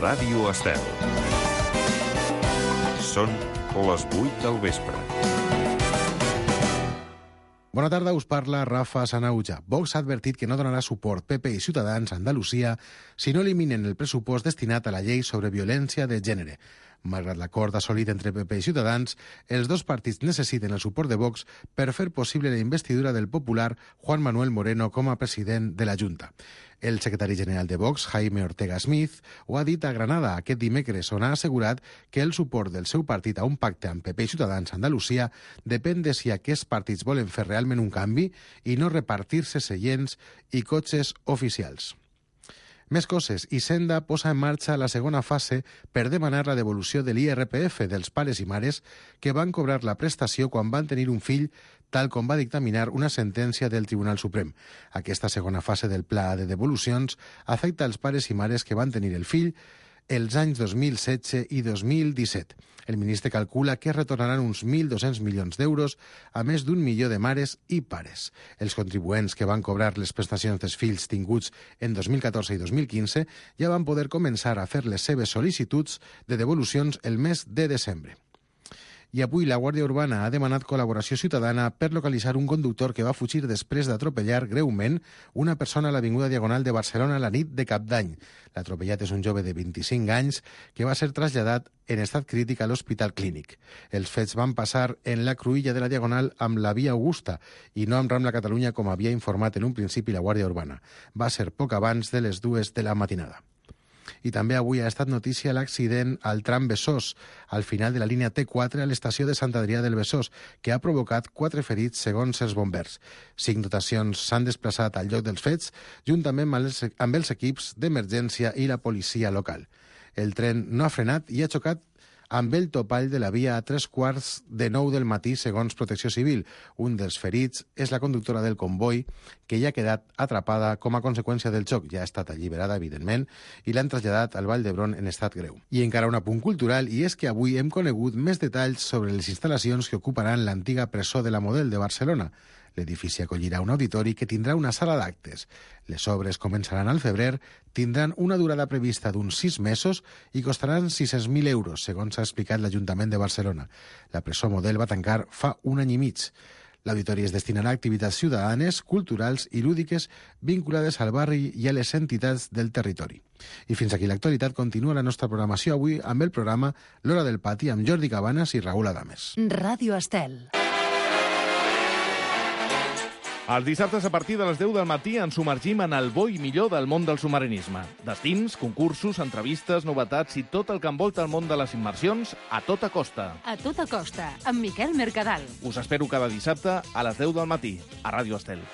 Ràdio Estel. Són les 8 del vespre. Bona tarda, us parla Rafa Sanauja. Vox ha advertit que no donarà suport PP i Ciutadans a Andalusia si no eliminen el pressupost destinat a la llei sobre violència de gènere. Malgrat l'acord assolit entre PP i Ciutadans, els dos partits necessiten el suport de Vox per fer possible la investidura del popular Juan Manuel Moreno com a president de la Junta. El secretari general de Vox, Jaime Ortega Smith, ho ha dit a Granada aquest dimecres, on ha assegurat que el suport del seu partit a un pacte amb PP i Ciutadans a Andalusia depèn de si aquests partits volen fer realment un canvi i no repartir-se seients i cotxes oficials. Més coses. Hisenda posa en marxa la segona fase per demanar la devolució de l'IRPF dels pares i mares que van cobrar la prestació quan van tenir un fill, tal com va dictaminar una sentència del Tribunal Suprem. Aquesta segona fase del pla de devolucions afecta els pares i mares que van tenir el fill els anys 2016 i 2017. El ministre calcula que retornaran uns 1.200 milions d'euros a més d'1 milió de mares i pares. Els contribuents que van cobrar les prestacions dels fills tinguts en 2014 i 2015 ja van poder començar a fer les seves sol·licituds de devolucions el mes de desembre. I avui la Guàrdia Urbana ha demanat col·laboració ciutadana per localitzar un conductor que va fugir després d'atropellar greument una persona a l'Avinguda Diagonal de Barcelona la nit de Cap d'Any. L'atropellat és un jove de 25 anys que va ser traslladat en estat crític a l'Hospital Clínic. Els fets van passar en la cruïlla de la Diagonal amb la Via Augusta i no amb Rambla Catalunya, com havia informat en un principi la Guàrdia Urbana. Va ser poc abans de les 2 de la matinada. I també avui ha estat notícia l'accident al tram Besòs, al final de la línia T4 a l'estació de Sant Adrià del Besòs, que ha provocat 4 ferits segons els bombers. 5 dotacions s'han desplaçat al lloc dels fets, juntament amb els equips d'emergència i la policia local. El tren no ha frenat i ha xocat amb el topall de la via a 8:45 del matí, segons Protecció Civil. Un dels ferits és la conductora del comboi, que ja ha quedat atrapada com a conseqüència del xoc. Ja ha estat alliberada, evidentment, i l'han traslladat al Vall d'Hebron en estat greu. I encara un apunt cultural, i és que avui hem conegut més detalls sobre les instal·lacions que ocuparan l'antiga presó de la Model de Barcelona. L'edifici acollirà un auditori que tindrà una sala d'actes. Les obres començaran al febrer, tindran una durada prevista d'uns 6 mesos i costaran 600.000 euros, segons ha explicat l'Ajuntament de Barcelona. La presó Model va tancar fa un any i mig. L'auditori es destinarà a activitats ciutadanes, culturals i lúdiques vinculades al barri i a les entitats del territori. I fins aquí l'actualitat. Continua la nostra programació avui amb el programa L'Hora del Pati amb Jordi Cabanes i Raül Adames. Ràdio Estel. Els dissabtes a partir de les 10 del matí ens submergim en el bo i millor del món del submarinisme. Destins, concursos, entrevistes, novetats i tot el que envolta el món de les immersions a tota costa. A tota costa, amb Miquel Mercadal. Us espero cada dissabte a les 10 del matí, a Ràdio Estel.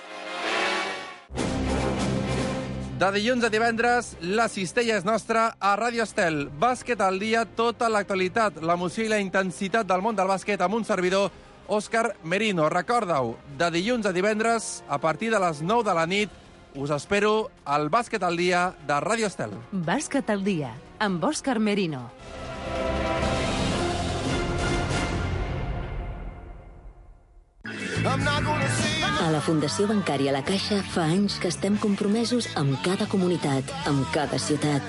De dilluns a divendres, la cistella és nostra a Ràdio Estel. Bàsquet al dia, tota l'actualitat, l'emoció i la intensitat del món del bàsquet amb un servidor, Òscar Merino. Recorda-ho, de dilluns a divendres, a partir de les 9 de la nit, us espero al Bàsquet al dia de Ràdio Estel. Bàsquet al dia, amb Òscar Merino. A la Fundació Bancària La Caixa fa anys que estem compromesos amb cada comunitat, amb cada ciutat,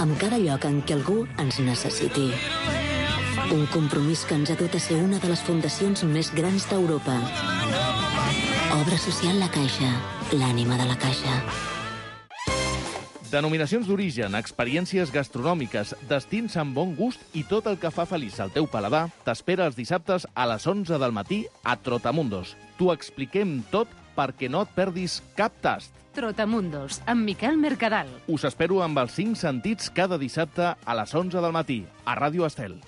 amb cada lloc en què algú ens necessiti. Un compromís que ens ha dut a ser una de les fundacions més grans d'Europa. Obra social La Caixa, l'ànima de la Caixa. Denominacions d'origen, experiències gastronòmiques, destins amb bon gust i tot el que fa feliç al teu paladar t'espera els dissabtes a les 11 del matí a Trotamundos. T'ho expliquem tot perquè no et perdis cap tast. Trotamundos, amb Miquel Mercadal. Us espero amb els 5 sentits cada dissabte a les 11 del matí a Ràdio Estel.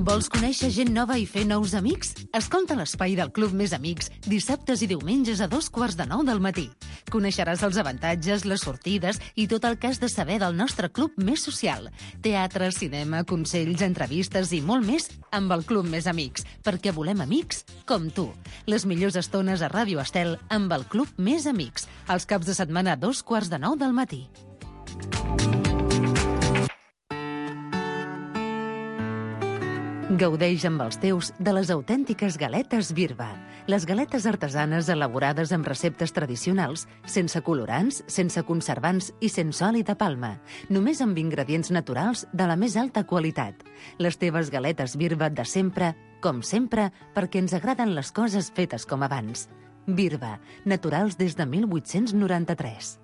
Vols conèixer gent nova i fer nous amics? Escolta l'Espai del Club Més Amics dissabtes i diumenges a 8:45 del matí. Coneixeràs els avantatges, les sortides i tot el que has de saber del nostre club més social. Teatre, cinema, consells, entrevistes i molt més amb el Club Més Amics, perquè volem amics com tu. Les millors estones a Ràdio Estel amb el Club Més Amics, els caps de setmana a 8:45 del matí. Gaudeix amb els teus de les autèntiques galetes Birba. Les galetes artesanes elaborades amb receptes tradicionals, sense colorants, sense conservants i sense oli de palma. Només amb ingredients naturals de la més alta qualitat. Les teves galetes Birba de sempre, com sempre, perquè ens agraden les coses fetes com abans. Birba, naturals des de 1893.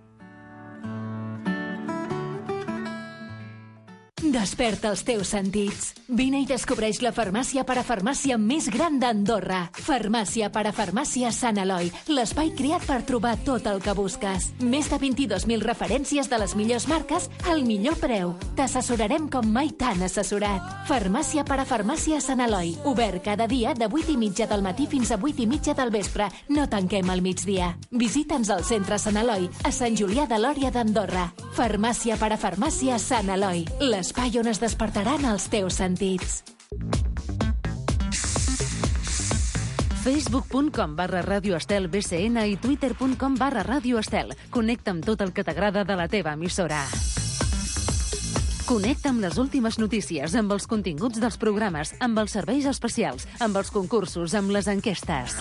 Desperta els teus sentits. Vine i descobreix la farmàcia parafarmàcia més gran d'Andorra. Farmàcia parafarmàcia Sant Eloi, l'espai creat per trobar tot el que busques. Més de 22.000 referències de les millors marques al millor preu. T'assessorarem com mai t'han assessorat. Farmàcia parafarmàcia Sant Eloi, obert cada dia de 8:30 del matí fins a 8:30 del vespre. No tanquem al migdia. Visita'ns al centre Sant Eloi, a Sant Julià de Lòria d'Andorra. Farmàcia parafarmàcia Sant Eloi, l'espai on es despertaran els teus sentits. Facebook.com/Radio Estel BCN i Twitter.com/Radio Estel. Connecta amb tot el que t'agrada de la teva emissora. Connecta amb les últimes notícies, amb els continguts dels programes, amb els serveis especials, amb els concursos, amb les enquestes.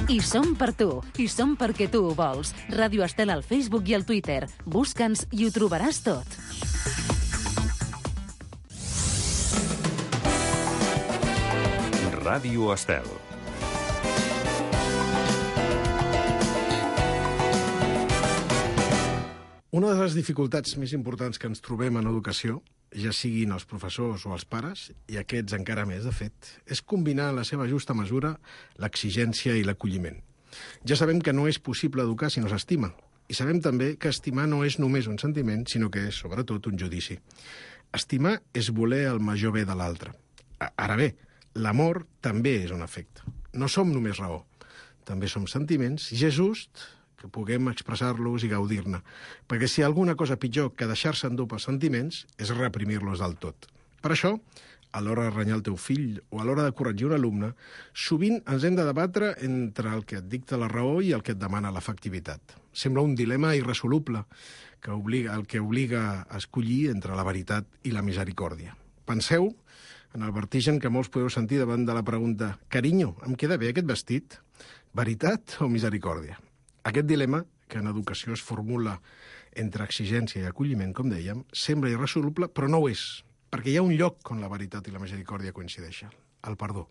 I som per tu, i som perquè tu ho vols. Ràdio Estel al Facebook i al Twitter. Busca'ns i ho trobaràs tot. Ràdio Estel. Una de les dificultats més importants que ens trobem en educació, ja siguin els professors o els pares, i aquests encara més, de fet, és combinar en la seva justa mesura l'exigència i l'acolliment. Ja sabem que no és possible educar si no s'estima, i sabem també que estimar no és només un sentiment, sinó que és, sobretot, un judici. Estimar és voler el major bé de l'altre. Ara bé, l'amor també és un afecte. No som només raó, també som sentiments, i és just que puguem expressar-los i gaudir-ne, perquè si hi ha alguna cosa pitjor que deixar-se endur pels sentiments és reprimir-los del tot. Per això, a l'hora de renyar el teu fill o a l'hora de corregir un alumne, sovint ens hem de debatre entre el que et dicta la raó i el que et demana l'efectivitat. Sembla un dilema irresoluble el que obliga a escollir entre la veritat i la misericòrdia. Penseu en el vertigen que molts podeu sentir davant de la pregunta «Carinyo, em queda bé aquest vestit? Veritat o misericòrdia?» Aquest dilema, que en educació es formula entre exigència i acolliment, com dèiem, sembla irresoluble, però no ho és, perquè hi ha un lloc on la veritat i la misericòrdia coincideixen, el perdó.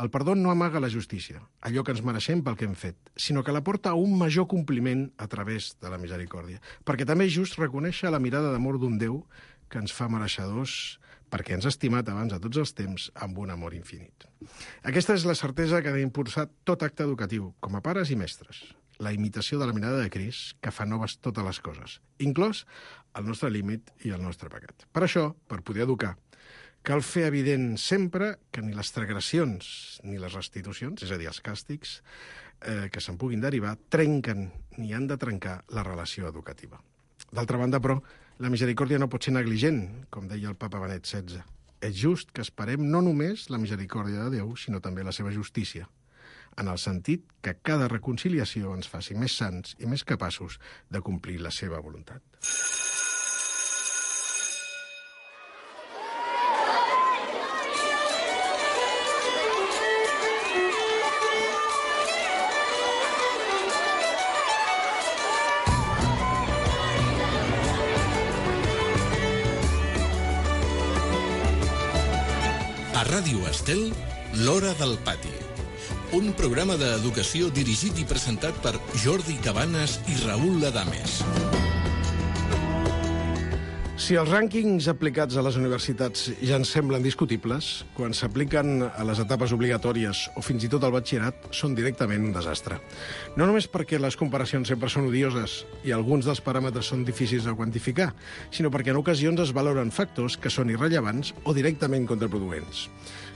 El perdó no amaga la justícia, allò que ens mereixem pel que hem fet, sinó que la porta a un major compliment a través de la misericòrdia, perquè també és just reconèixer la mirada d'amor d'un Déu que ens fa mereixedors perquè ens ha estimat abans de tots els temps amb un amor infinit. Aquesta és la certesa que ha d'impulsar tot acte educatiu, com a pares i mestres. La imitació de la mirada de Crist, que fa noves totes les coses, inclòs el nostre límit i el nostre pecat. Per això, per poder educar, cal fer evident sempre que ni les transgressions ni les restitucions, és a dir, els càstigs que se'n puguin derivar, trenquen ni han de trencar la relació educativa. D'altra banda, però, la misericòrdia no pot ser negligent, com deia el papa Benet XVI. És just que esperem no només la misericòrdia de Déu, sinó també la seva justícia, en el sentit que cada reconciliació ens faci més sants i més capaços de complir la seva voluntat. A Ràdio Estel, l'Hora del Pati. Un programa d'educació dirigit i presentat per Jordi Cabanes i Raül Ladames. Si els rànquings aplicats a les universitats ja ens semblen discutibles, quan s'apliquen a les etapes obligatòries o fins i tot al batxillerat, són directament un desastre. No només perquè les comparacions sempre són odioses i alguns dels paràmetres són difícils de quantificar, sinó perquè en ocasions es valoren factors que són irrellevants o directament contraproduents.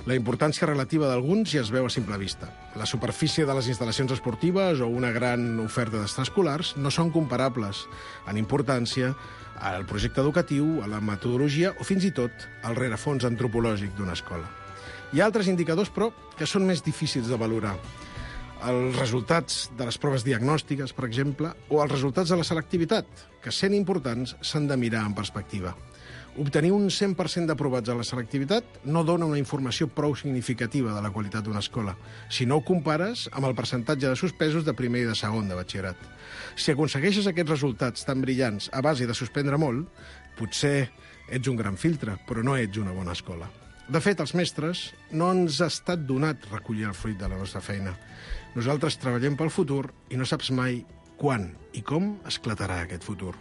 La importància relativa d'alguns ja es veu a simple vista. La superfície de les instal·lacions esportives o una gran oferta d'extraescolars no són comparables en importància al projecte educatiu, a la metodologia o fins i tot al rerefons antropològic d'una escola. Hi ha altres indicadors, però, que són més difícils de valorar. Els resultats de les proves diagnòstiques, per exemple, o els resultats de la selectivitat, que, sent importants, s'han de mirar en perspectiva. Obtenir un 100% d'aprovats a la selectivitat no dona una informació prou significativa de la qualitat d'una escola, si no ho compares amb el percentatge de suspesos de primer i de segon de batxillerat. Si aconsegueixes aquests resultats tan brillants a base de suspendre molt, potser ets un gran filtre, però no ets una bona escola. De fet, als mestres no ens ha estat donat recollir el fruit de la nostra feina. Nosaltres treballem pel futur i no saps mai quan i com esclatarà aquest futur.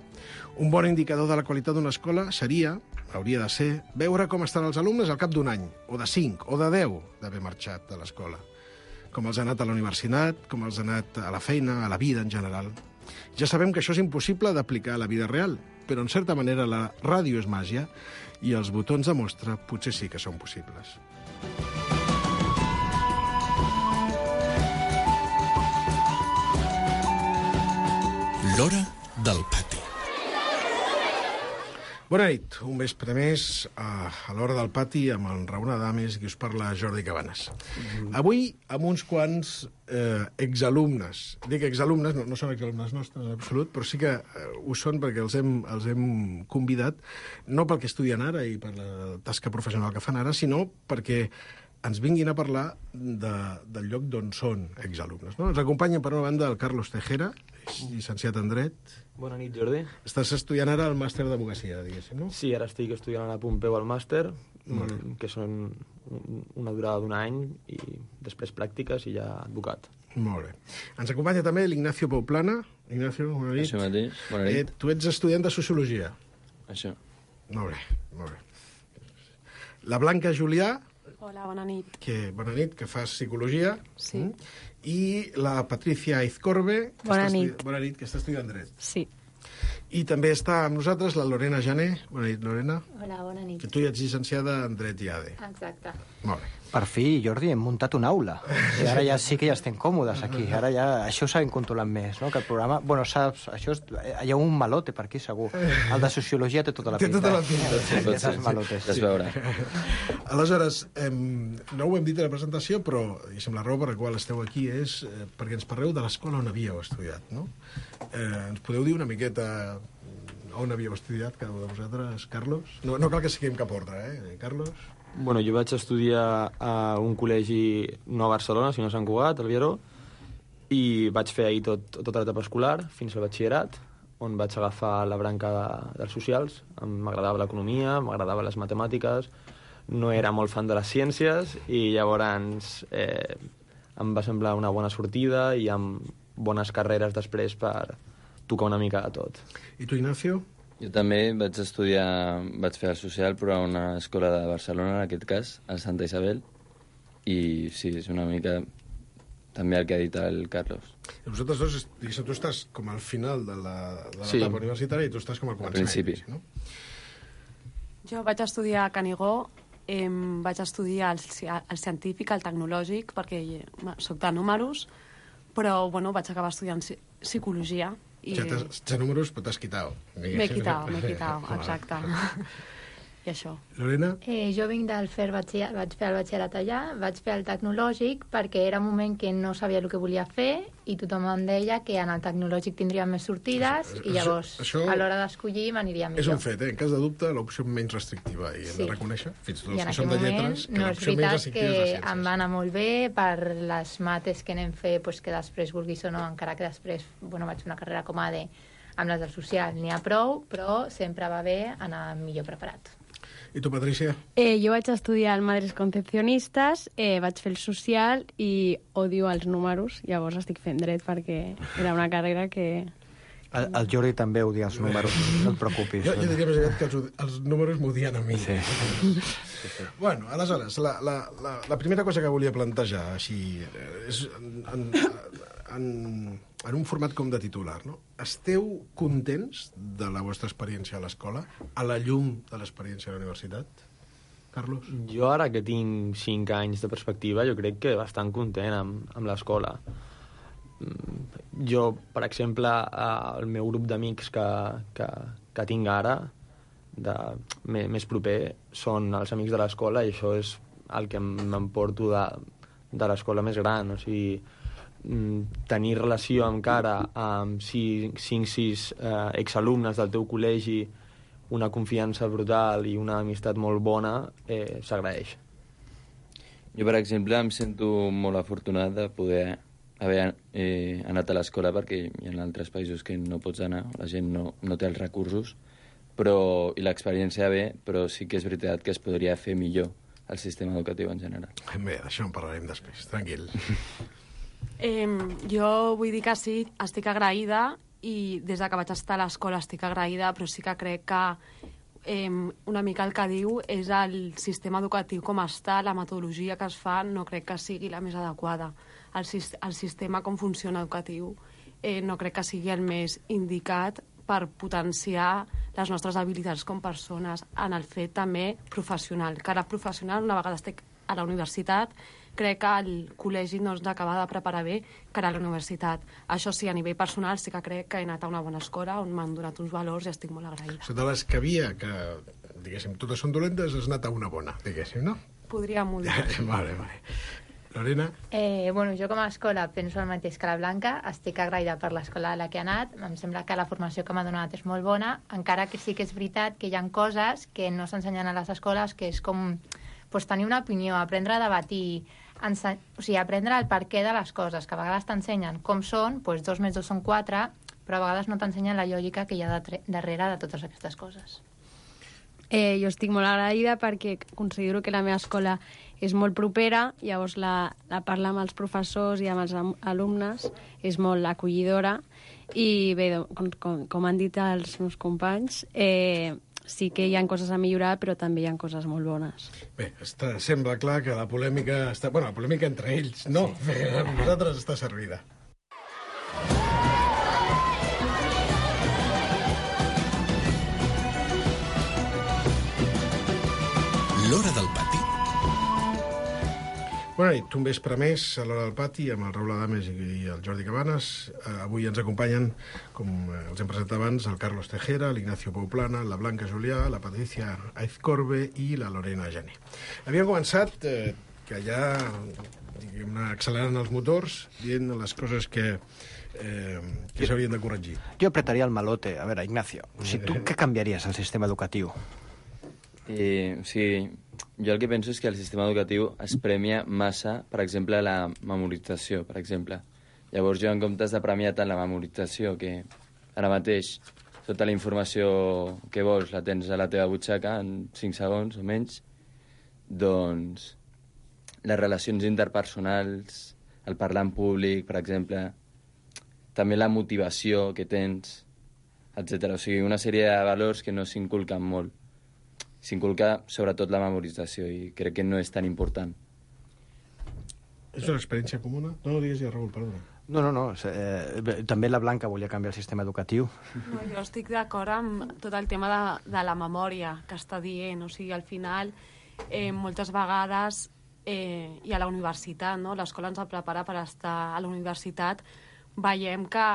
Un bon indicador de la qualitat d'una escola hauria de ser, veure com estan els alumnes al cap d'un any, o de 5, o de 10 d'haver marxat de l'escola. Com els ha anat a la universitat, com els ha anat a la feina, a la vida en general. Ja sabem que això és impossible d'aplicar a la vida real, però en certa manera la ràdio és màgia i els botons de mostra potser sí que són possibles. L'hora del pati. Bona nit, un vespre més a l'hora del pati amb el Raúl Adames, qui us parla Jordi Cabanes. Avui amb uns quants exalumnes. Dic exalumnes, no són exalumnes nostres en absolut, però sí que ho són perquè els hem convidat, no pel que estudien ara i per la tasca professional que fan ara, sinó perquè ens vinguin a parlar del lloc d'on són exalumnes. No? Ens acompanyen, per una banda, el Carlos Tejera, llicenciat en Dret. Bona nit, Jordi. Estàs estudiant ara el màster d'advocacia, diguéssim, no? Sí, ara estic estudiant a Pompeu el màster, que són una durada d'un any, i després pràctiques i ja advocat. Molt bé. Ens acompanya també l'Ignacio Pouplana. Ignacio, bona nit. Això mateix, bona nit. Tu ets estudiant de Sociologia. Això. Molt bé, molt bé. La Blanca Julià. Hola, bona nit. Bona nit, que fas Psicologia. Sí. I la Patricia Aizcorbe. Bona nit. Bona nit, que està estudiant Dret. Sí. I també està amb nosaltres la Lorena Jané. Bona nit, Lorena. Hola, bona nit. Que tu ja ets llicenciada en Dret i ADE. Exacte. Molt bé. Per fi, Jordi, hem muntat una aula. I ara ja sí que ja estem còmodes aquí. Ara ja això ho sabem controlar més, no? Que el programa... Bueno, saps, això és... Hi ha un malote per aquí, segur. El de Sociologia té tota la pinta. Té tota la pinta. Aquestes malotes. Ja es veurà. Aleshores, no ho hem dit a la presentació, però la raó per la qual esteu aquí és perquè ens parleu de l'escola on havíeu estudiat, no? Ens podeu dir una miqueta on havíeu estudiat cada un de vosaltres, Carlos? No cal que siguem cap ordre, Carlos? Bueno, jo vaig estudiar a un col·legi no a Barcelona, sinó a Sant Cugat, al Vieró, i vaig fer ahir tota l'etapa escolar, fins al batxillerat, on vaig agafar la branca dels socials. M'agradava l'economia, m'agradava les matemàtiques, no era molt fan de les ciències, i llavors em va semblar una bona sortida i amb bones carreres després per tocar una mica de tot. I tu, Ignacio? Jo també vaig fer el social, però a una escola de Barcelona, en aquest cas, a Santa Isabel, i sí, és una mica també el que ha dit el Carlos. I vosaltres dos, diguéssim, tu estàs com al final de l'etapa universitària i tu estàs com al començament. Al principi. No? Jo vaig estudiar a Canigó, vaig estudiar el científic, el tecnològic, perquè soc de números, però bueno, vaig acabar estudiant psicologia. I... Ja números, però t'has quitat. M'he quitat, exacte. I això. Lorena? Jo vinc del FER, vaig fer el batxillerat allà, vaig fer el tecnològic perquè era un moment que no sabia el que volia fer i tothom em deia que en el tecnològic tindria més sortides i llavors a l'hora d'escollir m'aniria millor. És un fet, en cas de dubte, l'opció menys restrictiva i hem de reconèixer, fins i tot els que som de lletres, que l'opció menys restrictiva és la ciències. Em va anar molt bé per les mates que anem fer, que després vulguis o no, encara que després vaig fer una carrera com a AD amb les del social, n'hi ha prou, però sempre va bé anar millor preparat. I tu, Patricia? Jo vaig estudiar al Madres Concepcionistes, vaig fer el social i odio els números, llavors estic fent dret perquè era una carrera que... El Jordi també odia els números, no et preocupis. Jo diria més aviat que els números m'odien a mi. Sí. Bueno, aleshores, la primera cosa que volia plantejar, així, és en un format com de titular, no? Esteu contents de la vostra experiència a l'escola, a la llum de l'experiència a la universitat? Carlos? Jo ara que tinc 5 anys de perspectiva, jo crec que bastant content amb l'escola. Jo, per exemple, el meu grup d'amics que tinc ara, més proper, són els amics de l'escola i això és el que m'emporto de l'escola més gran, o sigui, tenir relació encara amb 5-6 exalumnes del teu col·legi una confiança brutal i una amistat molt bona, s'agraeix. Jo, per exemple, em sento molt afortunat de poder haver anat a l'escola, perquè hi ha altres països que no pots anar, la gent no té els recursos, i l'experiència ve, però sí que és veritat que es podria fer millor el sistema educatiu en general. Bé, d'això en parlarem després, tranquil. Jo vull dir que sí, estic agraïda, i des que vaig estar a l'escola estic agraïda, però sí que crec que una mica el que diu és el sistema educatiu com està, la metodologia que es fa, no crec que sigui la més adequada. El sistema com funciona educatiu no crec que sigui el més indicat per potenciar les nostres habilitats com persones en el fet també professional. Que ara professional, una vegada estic a la universitat, crec que el col·legi no ens acaba de preparar bé que a la universitat. Això sí, a nivell personal sí que crec que he anat a una bona escola on m'han donat uns valors i estic molt agraïda. De les que havia, que, diguéssim, totes són dolentes, has anat a una bona, diguéssim, no? Podríem dir. Vale. Lorena? Jo com a escola penso el mateix que la Blanca, estic agraïda per l'escola a la que he anat, em sembla que la formació que m'ha donat és molt bona, encara que sí que és veritat que hi ha coses que no s'ensenyen a les escoles, que és com tenir una opinió, aprendre a debatir, aprendre el perquè de les coses, que a vegades t'ensenyen com són, 2 més 2 són 4, però a vegades no t'ensenyen la lògica que hi ha darrere de totes aquestes coses. Jo estic molt agraïda perquè considero que la meva escola és molt propera, llavors la parla amb els professors i amb els alumnes, és molt acollidora i bé, com han dit els meus companys, sí que hi ha coses a millorar, però també hi ha coses molt bones. Bé, sembla clar que la polèmica està... Bueno, la polèmica entre ells, no. Sí. Amb nosaltres està servida. L'Hora del Pati. Bona nit, un vespre més a l'Hora del Pati amb el Raül Adames i el Jordi Cabanes. Avui ens acompanyen, com els hem presentat abans, el Carlos Tejera, l'Ignacio Pouplana, la Blanca Julià, la Patricia Aizcorbe i la Lorena Jané. Havíem començat que ja accelerant els motors, dient les coses que s'haurien de corregir. Jo apretaria el malote. A veure, Ignacio, tu què canviaries al sistema educatiu? Jo el que penso és que el sistema educatiu es premia massa, per exemple, la memorització, per exemple. Llavors jo, en comptes de premiar tant la memorització, que ara mateix tota la informació que vols la tens a la teva butxaca en 5 segons o menys, doncs les relacions interpersonals, el parlar en públic, per exemple, també la motivació que tens, etc. O sigui, una sèrie de valors que no s'inculquen molt. S'inculca sobretot la memorització i crec que no és tan important. És una experiència comuna? No, digues ja, Raül, perdona. No. També la Blanca volia canviar el sistema educatiu. No, jo estic d'acord amb tot el tema de la memòria que està dient. O sigui, al final, moltes vegades, i a la universitat, no? L'escola ens prepara per estar a la universitat, veiem que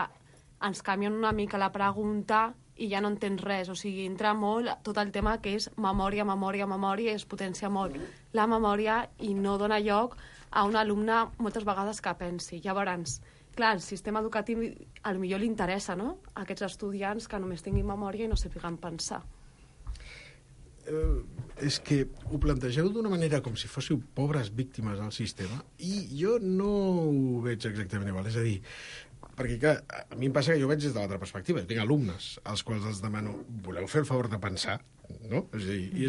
ens canvien una mica la pregunta i ja no entens res, o sigui, entra molt tot el tema que és memòria, i es potencia molt la memòria i no dona lloc a un alumne moltes vegades que pensi. Llavors, clar, el sistema educatiu potser li interessa, no?, a aquests estudiants que només tinguin memòria i no sàpiguen pensar. És que ho plantegeu d'una manera com si fóssiu pobres víctimes del sistema i jo no ho veig exactament igual, és a dir, perquè clar, a mi em passa que jo veig des de l'altra perspectiva. Tinc alumnes als quals els demano, voleu fer el favor de pensar? No? És a dir,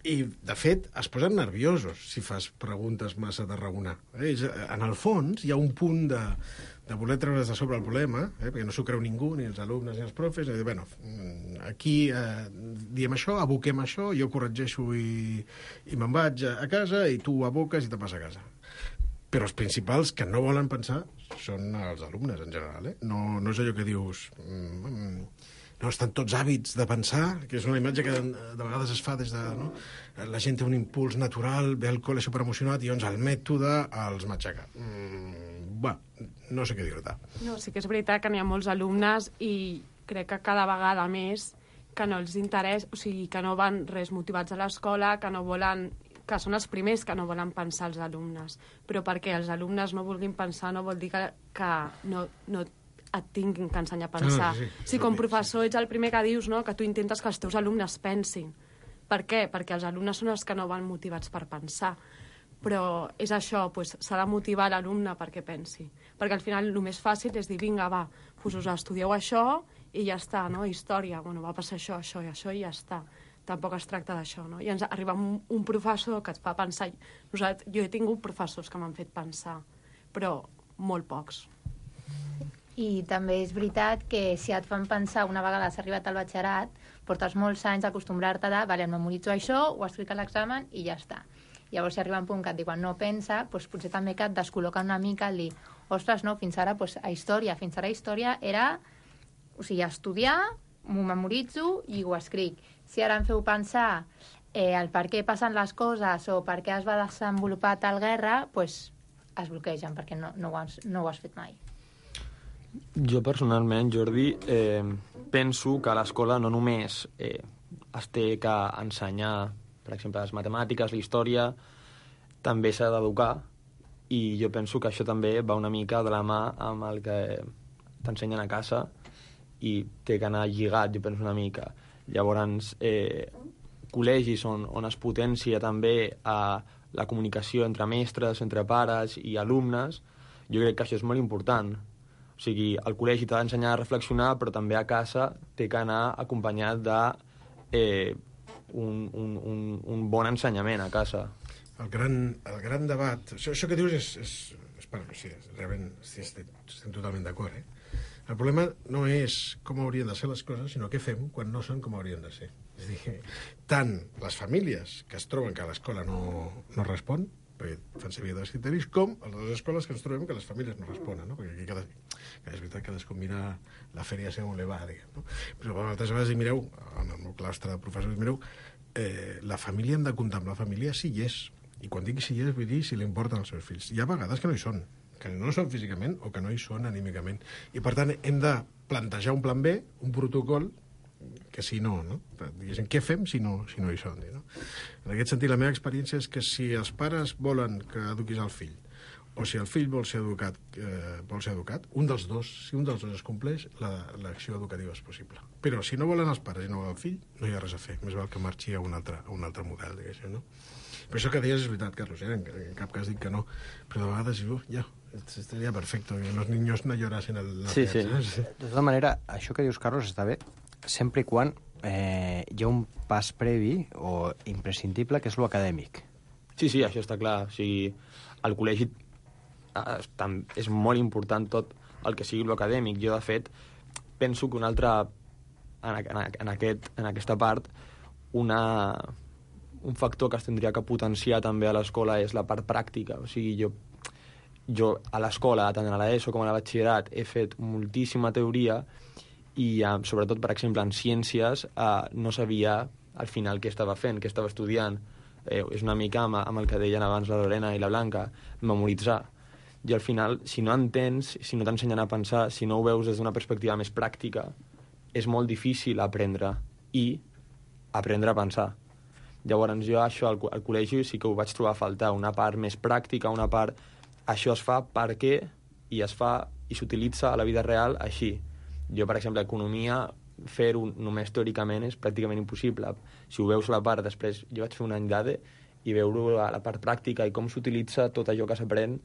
i de fet es posen nerviosos si fas preguntes massa de raonar. En el fons hi ha un punt de voler treure's de sobre el problema, perquè no s'ho creu ningú, ni els alumnes ni els profes, i dir, bueno, aquí diem això, aboquem això, jo corregeixo i me'n vaig a casa i tu ho aboques i te'n vas a casa. Però els principals que no volen pensar són els alumnes, en general. No és allò que dius... No estan tots hàbits de pensar, que és una imatge que de vegades es fa des de... No? La gent té un impuls natural, ve al col·le superemocionat i llavors el mètode els matxaca. No sé què dir-te. No, sí que és veritat que n'hi ha molts alumnes i crec que cada vegada més que no els interessa, o sigui, que no van res motivats a l'escola, que no volen... que són els primers que no volen pensar els alumnes. Però perquè els alumnes no vulguin pensar no vol dir que no et tinguin que ensenyar a pensar. Si com a professor ets el primer que dius, no?, que tu intentes que els teus alumnes pensin. Per què? Perquè els alumnes són els que no van motivats per pensar. Però és això, s'ha de motivar l'alumne perquè pensi. Perquè al final el més fàcil és dir, vinga, va, us estudieu això i ja està, no? Història, bueno, va passar això, això i això i ja està. Tampoc es tracta d'això, no? I ens arriba un professor que et fa pensar. Jo he tingut professors que m'han fet pensar, però molt pocs. I també és veritat que si et fan pensar una vegada has arribat al batxillerat, portes molts anys acostumbrar-te a vale, memoritzo això, ho escric a l'examen i ja està. Llavors, si arriba un punt que et diuen no pensa, doncs potser també que et descol·loca una mica el dir, ostres, no, fins ara a història era, o sigui, estudiar, m'ho memoritzo i ho escric. Si ara em feu pensar el per què passen les coses o per què es va desenvolupar tal guerra, doncs es bloquegen perquè no ho has fet mai. Jo personalment, Jordi, penso que a l'escola no només es té que ensenyar, per exemple, les matemàtiques, la història, també s'ha d'educar, i jo penso que això també va una mica de la mà amb el que t'ensenyen a casa i té que anar lligat, jo penso una mica. Llavors, col·legis on es potencia també la comunicació entre mestres, entre pares i alumnes, jo crec que això és molt important. O sigui, el col·legi t'ha d'ensenyar a reflexionar, però també a casa té que anar acompanyat d'un bon ensenyament a casa. El gran debat... Això que dius realment estem totalment d'acord, El problema no és com haurien de ser les coses, sinó què fem quan no són com haurien de ser. És a dir, tant les famílies que es troben que l'escola no respon, perquè fan servir dels criteris, com les escoles que ens trobem que les famílies no responen, no? Perquè aquí és veritat que cadascú mira la feria segons le va, diguem, no? Però moltes vegades mireu, en el meu claustre de professors, mireu, la família hem de contemplar la família si hi és. I quan dic si hi és, vull dir si li importen els seus fills. Hi ha vegades que no hi són, que no són físicament o que no hi són anímicament. I, per tant, hem de plantejar un plan B, un protocol, que si no, no? Diguéssim, què fem si no hi són? No? En aquest sentit, la meva experiència és que si els pares volen que eduquis el fill, o si el fill vol ser educat, si un dels dos es compleix, l'acció educativa és possible. Però si no volen els pares i no volen el fill, no hi ha res a fer. Més val que marxi a un altre model, diguéssim, no? Però això que deies és veritat, Carlos, en cap cas dic que no, però de vegades estaria perfecto, que los niños no llorasen el sí. De tota manera, això que dius, Carlos, està bé, sempre i quan hi ha un pas previ o imprescindible, que és lo acadèmic. Sí, això està clar. O sigui, al col·legi és molt important tot el que sigui lo acadèmic. Jo, de fet, penso que en aquesta part, un factor que es tindria que potenciar també a l'escola és la part pràctica. O sigui, jo a l'escola, tant a l'ESO com a la batxillerat, he fet moltíssima teoria i, sobretot, per exemple, en ciències, no sabia al final què estava fent, què estava estudiant. És una mica amb el que deien abans la Lorena i la Blanca, memoritzar. I al final, si no entens, si no t'ensenyen a pensar, si no ho veus des d'una perspectiva més pràctica, és molt difícil aprendre a pensar. Llavors jo això al col·legi sí que ho vaig trobar a faltar, una part més pràctica, una part... Això es fa perquè i es fa i s'utilitza a la vida real així. Jo, per exemple, economia, fer-ho només teòricament és pràcticament impossible. Si ho veus a la part, després jo vaig fer un any d'ADE i veure a la part pràctica i com s'utilitza tot allò que s'aprèn,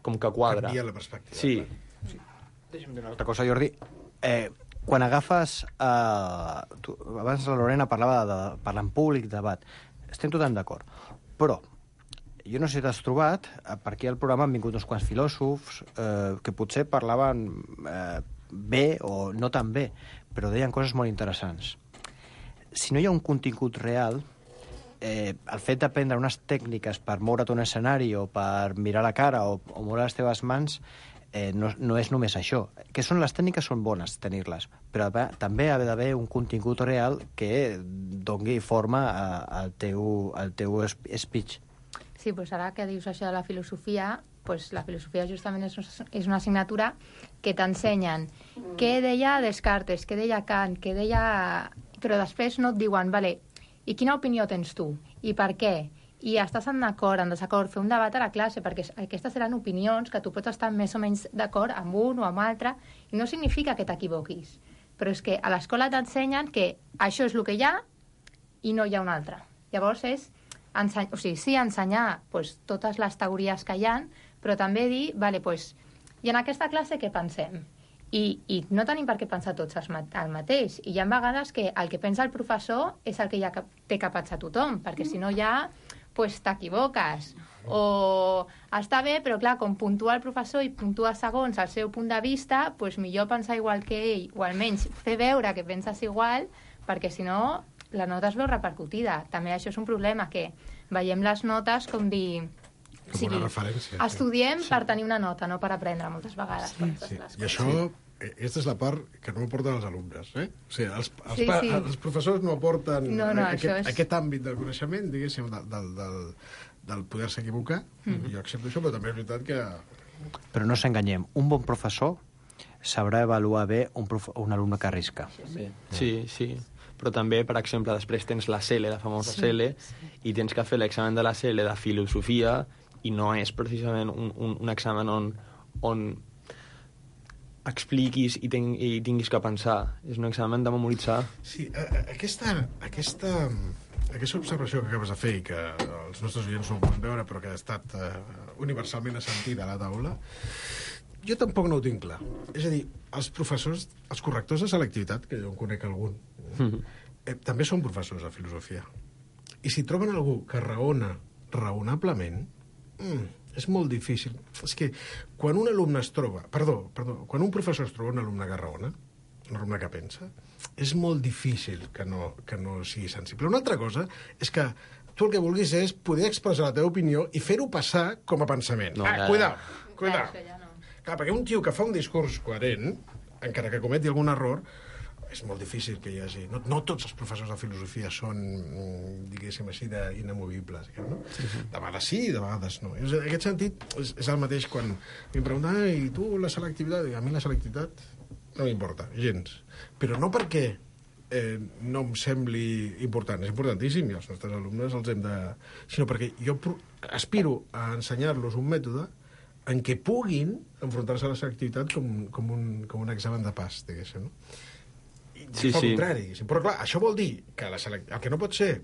com que quadra. Canvia la perspectiva. Sí. Deixa'm dir una altra cosa, Jordi. Quan agafes... abans la Lorena parlava de parlar en públic, debat. Estem totalment d'acord. Però jo no sé si t'has trobat, per aquí al programa han vingut uns quants filòsofs que potser parlaven bé o no tan bé, però deien coses molt interessants. Si no hi ha un contingut real, el fet d'aprendre unes tècniques per moure't un escenari o per mirar la cara o moure les teves mans no és només això. Que són les tècniques, són bones tenir-les, però també ha d'haver un contingut real que doni forma al teu speech. Sí, doncs ara que dius això de la filosofia, doncs la filosofia justament és una assignatura que t'ensenyen què deia Descartes, què deia Kant, què deia... Però després no et diuen, vale, i quina opinió tens tu? I per què? i estàs en acord, en desacord, fer un debat a la classe, perquè aquestes seran opinions que tu pots estar més o menys d'acord amb un o amb altre, i no significa que t'equivoquis. Però és que a l'escola t'ensenyen que això és el que hi ha i no hi ha un altre. Llavors és ensenyar totes les teories que hi ha, però també dir, i en aquesta classe què pensem? I no tenim per què pensar tots el mateix. I hi ha vegades que el que pensa el professor és el que ja té que pensar tothom, perquè si no ja t'equivoques. O està bé, però clar, com puntua el professor i puntua segons el seu punt de vista, millor pensar igual que ell, o almenys fer veure que penses igual, perquè si no la nota es veu repercutida. També això és un problema, que veiem les notes com dir... Com una referència. Estudiem per tenir una nota, no per aprendre moltes vegades. Sí. I això, aquesta és la part que no aporten els alumnes, eh? O sigui, els professors no aporten aquest àmbit del coneixement, diguéssim, del poder-se equivocar. Jo accepto això, però també és veritat que... Però no s'enganyem, un bon professor sabrà avaluar bé un alumne que arrisca. Sí. Però també, per exemple, després tens la CL, la famosa CL, i tens que fer l'examen de la CL de filosofia, i no és precisament un examen on expliquis i tinguis que pensar. És un examen de memoritzar. Sí, aquesta observació que acabes de fer i que els nostres oients no ho poden veure però que ha estat universalment assentida a la taula, jo tampoc no ho tinc clar. És a dir, els professors, els correctors de selectivitat, que jo en conec algun, també són professors de filosofia. I si troben algú que raona raonablement, és molt difícil. És que quan un alumne es troba... quan un professor es troba un alumne que raona, un alumne que pensa, és molt difícil que no sigui sensible. Una altra cosa és que tu el que vulguis és poder expressar la teva opinió i fer-ho passar com a pensament. Cuidao. Clar, perquè un tio que fa un discurs coherent, encara que cometi algun error, és molt difícil que hi hagi... No tots els professors de filosofia són, diguéssim així, inamovibles. No? De vegades sí, de vegades no. En aquest sentit, és el mateix quan em pregunten i tu la selectivitat? A mi la selectivitat no m'importa, gens. Però no perquè no em sembli important. És importantíssim i els nostres alumnes els hem de... Sinó perquè jo aspiro a ensenyar-los un mètode en què puguin enfrontar-se a la selectivitat com un examen de pas, diguéssim, no? I al contrari. Però clar, això vol dir que el que no pot ser,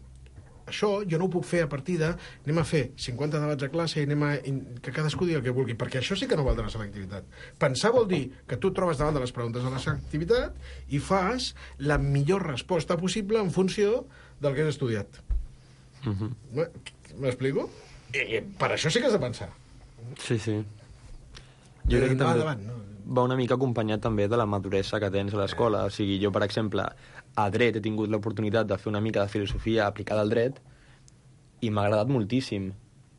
això jo no ho puc fer a partir de anem a fer 50 debats a classe i que cadascú digui el que vulgui, perquè això sí que no val de la selectivitat. Pensar vol dir que tu et trobes davant de les preguntes de la selectivitat i fas la millor resposta possible en funció del que has estudiat. M'explico? Per això sí que has de pensar. Sí. Jo crec que també va una mica acompanyat també de la maduresa que tens a l'escola. O sigui, jo, per exemple, a dret he tingut l'oportunitat de fer una mica de filosofia aplicada al dret i m'ha agradat moltíssim.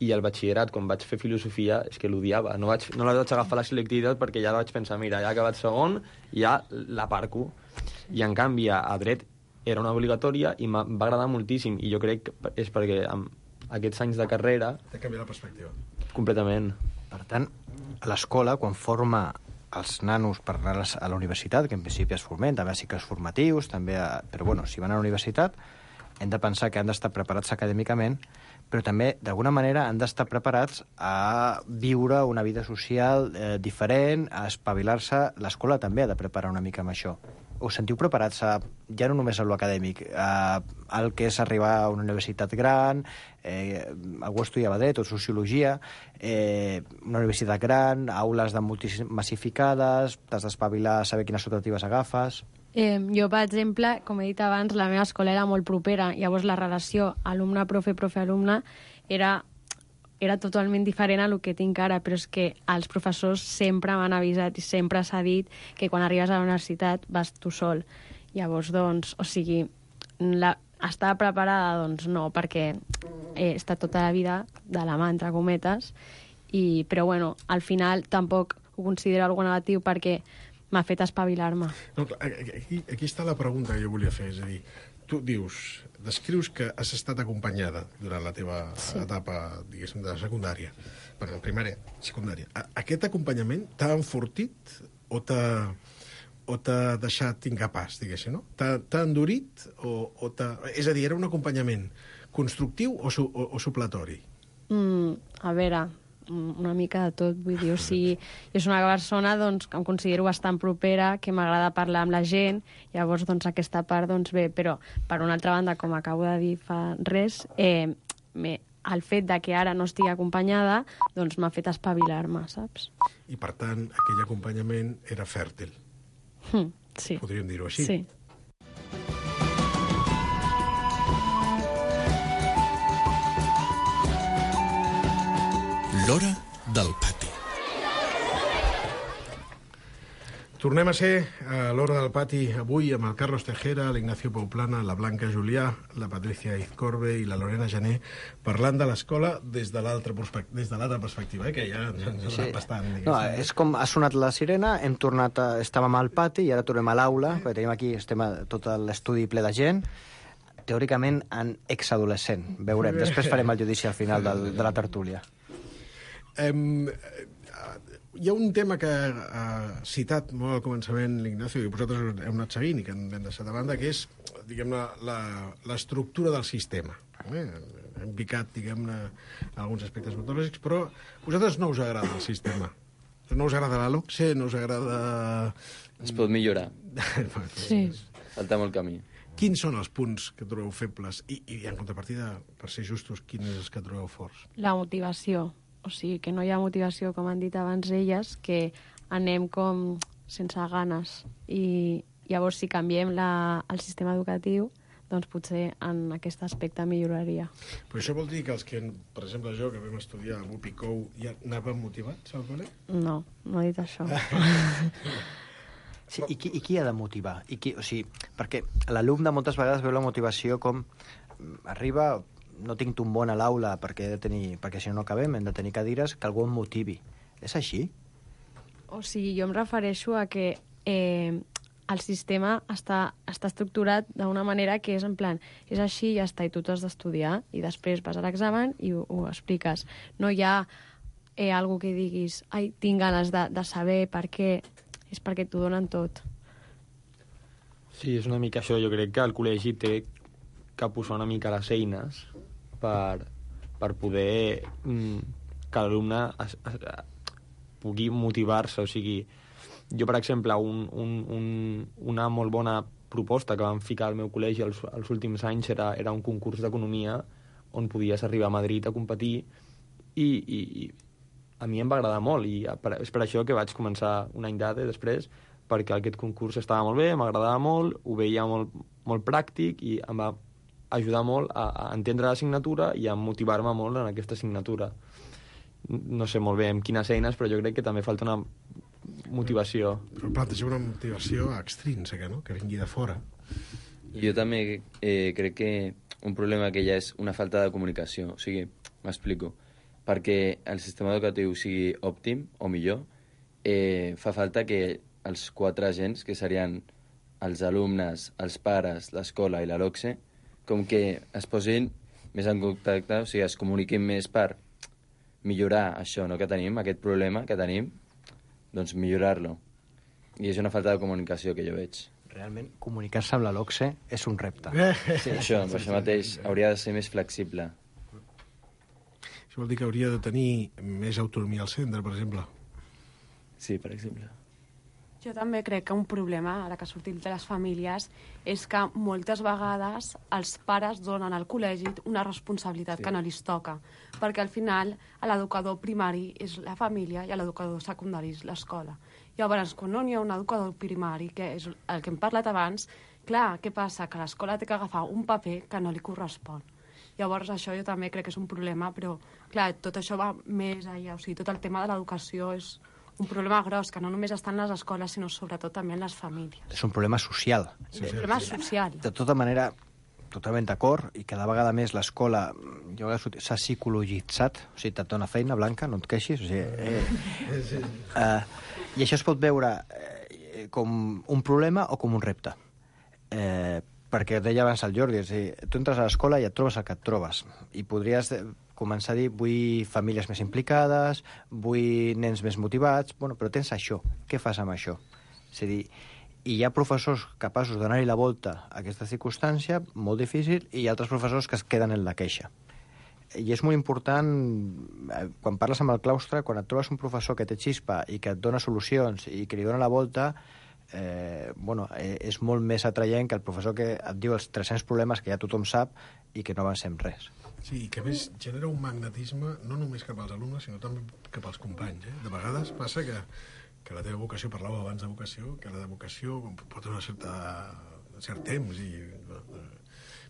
I al batxillerat, quan vaig fer filosofia, és que l'odiava. No la vaig agafar la selectivitat perquè ja vaig pensar, mira, ja he acabat segon, ja l'aparco. I en canvi, a dret era una obligatòria i va agradar moltíssim. I jo crec que és perquè amb aquests anys de carrera... T'ha canviat la perspectiva. Completament. Per tant, a l'escola, quan forma els nanos per anar a la universitat, que en principi es formen, també a cicles formatius, però bueno, si van a la universitat, hem de pensar que han d'estar preparats acadèmicament, però també, d'alguna manera, han d'estar preparats a viure una vida social diferent, a espavilar-se. L'escola també ha de preparar una mica amb això. Us sentiu preparats ja no només a l'acadèmic, al que és arribar a una universitat gran, algú estudiava dret o sociologia, una universitat gran, aules massificades, t'has d'espavilar a saber quines alternatives agafes... Jo, per exemple, com he dit abans, la meva escola era molt propera, llavors la relació alumne-profe, profe-alumne era totalment diferent a lo que tinc ara, però és que els professors sempre m'han avisat i sempre s'ha dit que quan arribes a la universitat vas tu sol. Llavors, doncs, o sigui, estava preparada? Doncs no, perquè he estat tota la vida de la mà, entre cometes, però bueno, al final tampoc ho considero algo negatiu perquè m'ha fet espavilar-me. No, aquí està la pregunta que jo volia fer, és a dir, tu descrius que has estat acompanyada durant la teva etapa, diguéssim, de secundària, bueno, primària, secundària. Aquest acompanyament t'ha enfortit o t'ha deixat incapaç, diguéssim, no? T'ha endurit o t'ha... És a dir, era un acompanyament constructiu o supletori? A veure, una mica de tot, vull dir, o sigui, jo soc una persona doncs, que em considero bastant propera, que m'agrada parlar amb la gent, llavors doncs aquesta part doncs bé, però per una altra banda, com acabo de dir fa res, el fet de que ara no estigui acompanyada doncs m'ha fet espavilar-me, saps? I per tant, aquell acompanyament era fèrtil. Sí. Podríem dir-ho així. Sí. L'hora del pati. Tornem a ser a l'hora del pati avui amb el Carlos Tejera, l'Ignacio Pouplana, la Blanca Julià, la Patricia Izcorbe i la Lorena Jané, parlant de l'escola des de l'altra perspectiva, que ja ens ha bastant. No, és com ha sonat la sirena, hem tornat, estàvem al pati i ara tornem a l'aula, perquè tenim aquí, estem tot l'estudi ple de gent, teòricament en exadolescent. Veurem, després farem el judici al final de la tertúlia. Hi ha un tema que ha citat molt al començament l'Ignacio i vosaltres heu anat seguint i que hem deixat de banda, que és, diguem-ne, l'estructura del sistema. Hem picat, diguem-ne, alguns aspectes metodològics, però a vosaltres no us agrada el sistema. No us agrada la LOCSE, no us agrada... Es pot millorar. Sí. Falta molt camí. Quins són els punts que trobeu febles? I en contrapartida, per ser justos, quins és els que trobeu forts? La motivació. O sigui, que no hi ha motivació, com han dit abans elles, que anem com sense ganes. I llavors, si canviem el sistema educatiu, doncs potser en aquest aspecte milloraria. Però això vol dir que els que, per exemple, jo, que vam estudiar a Bupicou, ja anàvem motivats al col·le? No, no he dit això. Sí, i qui ha de motivar? O sigui, perquè l'alumne moltes vegades veu la motivació com arriba... no tinc un bon a l'aula perquè si no acabem, hem de tenir cadires, que algú em motivi. És així? O sigui, jo em refereixo a que el sistema està estructurat d'una manera que és en plan, és així i ja està, i tu t'has d'estudiar, i després vas a l'examen i ho expliques. No hi ha algú que diguis, ai, tinc ganes de saber per què, és perquè t'ho donen tot. Sí, és una mica això. Jo crec que el col·legi té que posar una mica les eines per poder que l'alumne pugui motivar-se. O sigui, jo, per exemple, una molt bona proposta que vam ficar al meu col·legi els últims anys era un concurs d'economia on podies arribar a Madrid a competir i a mi em va agradar molt i és per això que vaig començar un any després, perquè aquest concurs estava molt bé, m'agradava molt, ho veia molt pràctic i em va ajudar molt a entendre l'assignatura i a motivar-me molt en aquesta assignatura. No sé molt bé amb quines eines, però jo crec que també falta una motivació. Però planteja una motivació extrínseca, no?, que vingui de fora. Jo també crec que un problema que ja és una falta de comunicació. O sigui, m'explico. Perquè el sistema educatiu sigui òptim o millor, fa falta que els 4 agents, que serien els alumnes, els pares, l'escola i la LOCSE, com que es posin més en contacte, o sigui, es comuniquin més per millorar això, no?, que tenim, aquest problema que tenim, doncs millorar-lo. I és una falta de comunicació que jo veig. Realment, comunicar-se amb la LOCSE és un repte. Sí, això mateix, hauria de ser més flexible. Això vol dir que hauria de tenir més autonomia al centre, per exemple. Sí, per exemple. Jo també crec que un problema, ara que sortim de les famílies, és que moltes vegades els pares donen al col·legi una responsabilitat que no li toca, perquè al final l'educador primari és la família i l'educador secundari és l'escola. Llavors, quan no hi ha un educador primari, que és el que hem parlat abans, clar, què passa? Que l'escola té que agafar un paper que no li correspon. Llavors, això jo també crec que és un problema, però, clar, tot això va més allà. O sigui, tot el tema de l'educació és un problema gros, que no només està en les escoles, sinó sobretot també en les famílies. És un problema social. És un problema social. De tota manera, totalment d'acord, i cada vegada més l'escola s'ha psicologitzat, o sigui, et dona feina, Blanca, no et queixis, o sigui... I això es pot veure com un problema o com un repte. Perquè deia abans el Jordi, és a dir, tu entres a l'escola i et trobes el que et trobes, i podries començar a dir, vull famílies més implicades, vull nens més motivats, bueno, però tens això, què fas amb això? És a dir, I hi ha professors capaços de donar-hi la volta a aquesta circumstància, molt difícil, i hi ha altres professors que es queden en la queixa. I és molt important, quan parles amb el claustre, quan et trobes un professor que té xispa i que et dona solucions i que li dona la volta, és molt més atraient que el professor que et diu els 300 problemes que ja tothom sap i que no avancem res. Sí, i que a més genera un magnetisme no només cap als alumnes, sinó també cap als companys. De vegades passa que la teva vocació, parlàveu abans de vocació, que la vocació pot tenir un cert temps i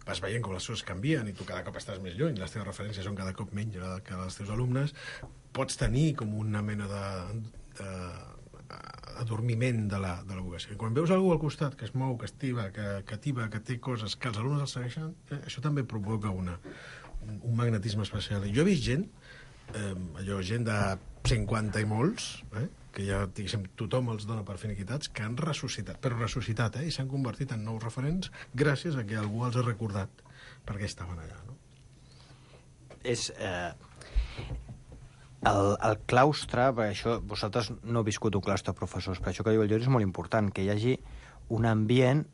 vas veient com les coses canvien i tu cada cop estàs més lluny, les teves referències són cada cop menys que els teus alumnes, pots tenir com una mena d'adormiment de la vocació. I quan veus algú al costat que es mou, que estiva, que té coses que els alumnes els segueixen, això també provoca un magnetisme especial. I jo he vist gent, gent de 50 i molts, que ja, diguéssim, tothom els dona per finiquitats, que han ressuscitat, però ressuscitat, i s'han convertit en nous referents gràcies a que algú els ha recordat perquè estaven allà, no? És... El claustre, perquè això, vosaltres no heu viscut un claustre de professors, però això que diu el Jordi és molt important, que hi hagi un ambient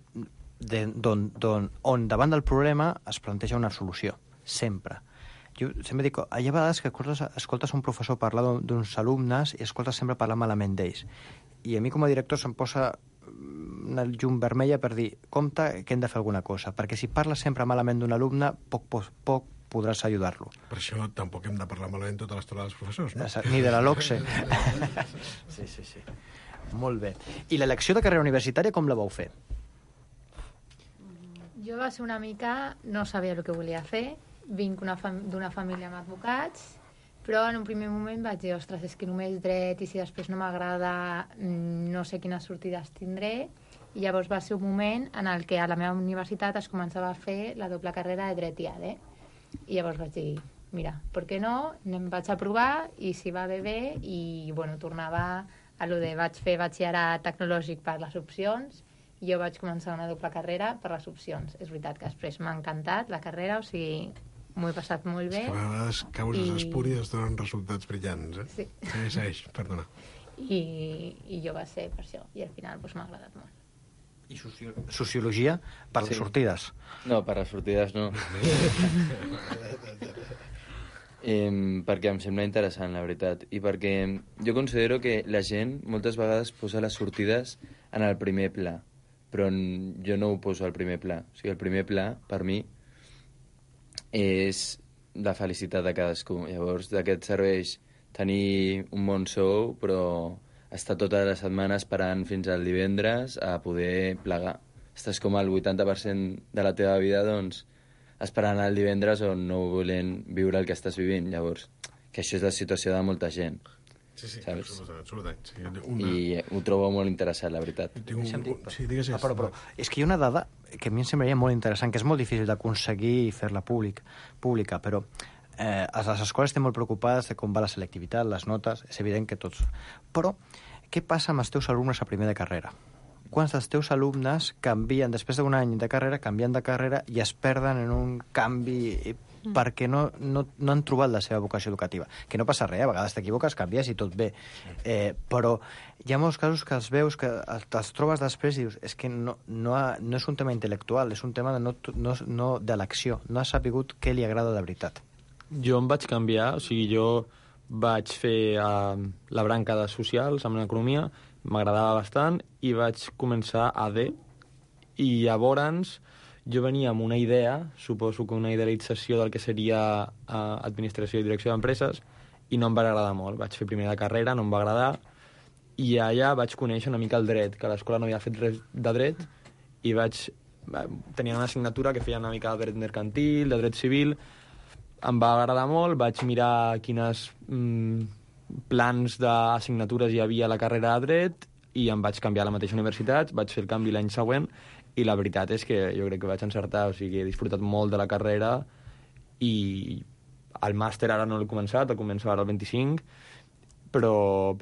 on davant del problema es planteja una solució, sempre. Jo sempre dic, hi ha vegades que escoltes un professor parlar d'uns alumnes i escoltes sempre parlar malament d'ells. I a mi com a director se'm posa una llum vermella per dir, compte que hem de fer alguna cosa, perquè si parles sempre malament d'un alumne, poc podràs ajudar-lo. Per això tampoc hem de parlar malament tota l'estona dels professors, no? Ni de la LOCSE. Sí. Molt bé. I l'elecció de carrera universitària com la vau fer? Jo va ser una mica... No sabia el que volia fer. Vinc d'una família amb advocats, però en un primer moment vaig dir, ostres, és que només dret i si després no m'agrada no sé quines sortides tindré. I llavors va ser un moment en el que a la meva universitat es començava a fer la doble carrera de dret i ADE. I llavors vaig dir, mira, per què no? Em vaig a provar i si va bé, i tornava a lo de vaig fer batxillerat tecnològic per les opcions i jo vaig començar una doble carrera per les opcions. És veritat que després m'ha encantat la carrera, o sigui, m'ho he passat molt bé. A vegades causes espúries donen resultats brillants, Sí. Segueix, perdona. I jo va ser per això, i al final m'ha agradat molt. I sociologia per les sortides? No, per les sortides no. Perquè em sembla interessant, la veritat. I perquè jo considero que la gent moltes vegades posa les sortides en el primer pla, però jo no ho poso al primer pla. O sigui, el primer pla, per mi, és la felicitat de cadascú. Llavors, de què et serveix tenir un bon sou, però estar tota la setmana esperant fins al divendres a poder plegar. Estàs com al 80% de la teva vida, doncs, esperant el divendres o no volent viure el que estàs vivint. Llavors, que això és la situació de molta gent. Sí, saps? Absolutament. I ho trobo molt interessant, la veritat. Però és que hi ha una dada que a mi em semblaria molt interessant, que és molt difícil d'aconseguir fer-la pública, però les escoles estan molt preocupades de com va la selectivitat, les notes, és evident que tots... Però què passa amb els teus alumnes a primer de carrera? Quants dels teus alumnes canvien, després d'un any de carrera, canvien de carrera i es perden en un canvi perquè no han trobat la seva vocació educativa? Que no passa res, a vegades t'equivoques, canvies i tot bé. Però hi ha molts casos que els veus, que els trobes després i dius, és que no és un tema intel·lectual, és un tema de l'acció. No has sabut què li agrada de veritat. Jo em vaig canviar, o sigui, jo vaig fer la branca de socials amb l'economia, m'agradava bastant, i vaig començar a AD, i llavors jo venia amb una idea, suposo que una idealització del que seria administració i direcció d'empreses, i no em va agradar molt. Vaig fer primera de carrera, no em va agradar, i allà vaig conèixer una mica el dret, que a l'escola no havia fet res de dret, i tenia una assignatura que feia una mica de dret mercantil, de dret civil. Em va agradar molt, vaig mirar quines plans d'assignatures hi havia a la carrera de dret i em vaig canviar a la mateixa universitat, vaig fer el canvi l'any següent i la veritat és que jo crec que vaig encertar, o sigui, he disfrutat molt de la carrera i el màster ara no l'he començat, el començo ara el 25, però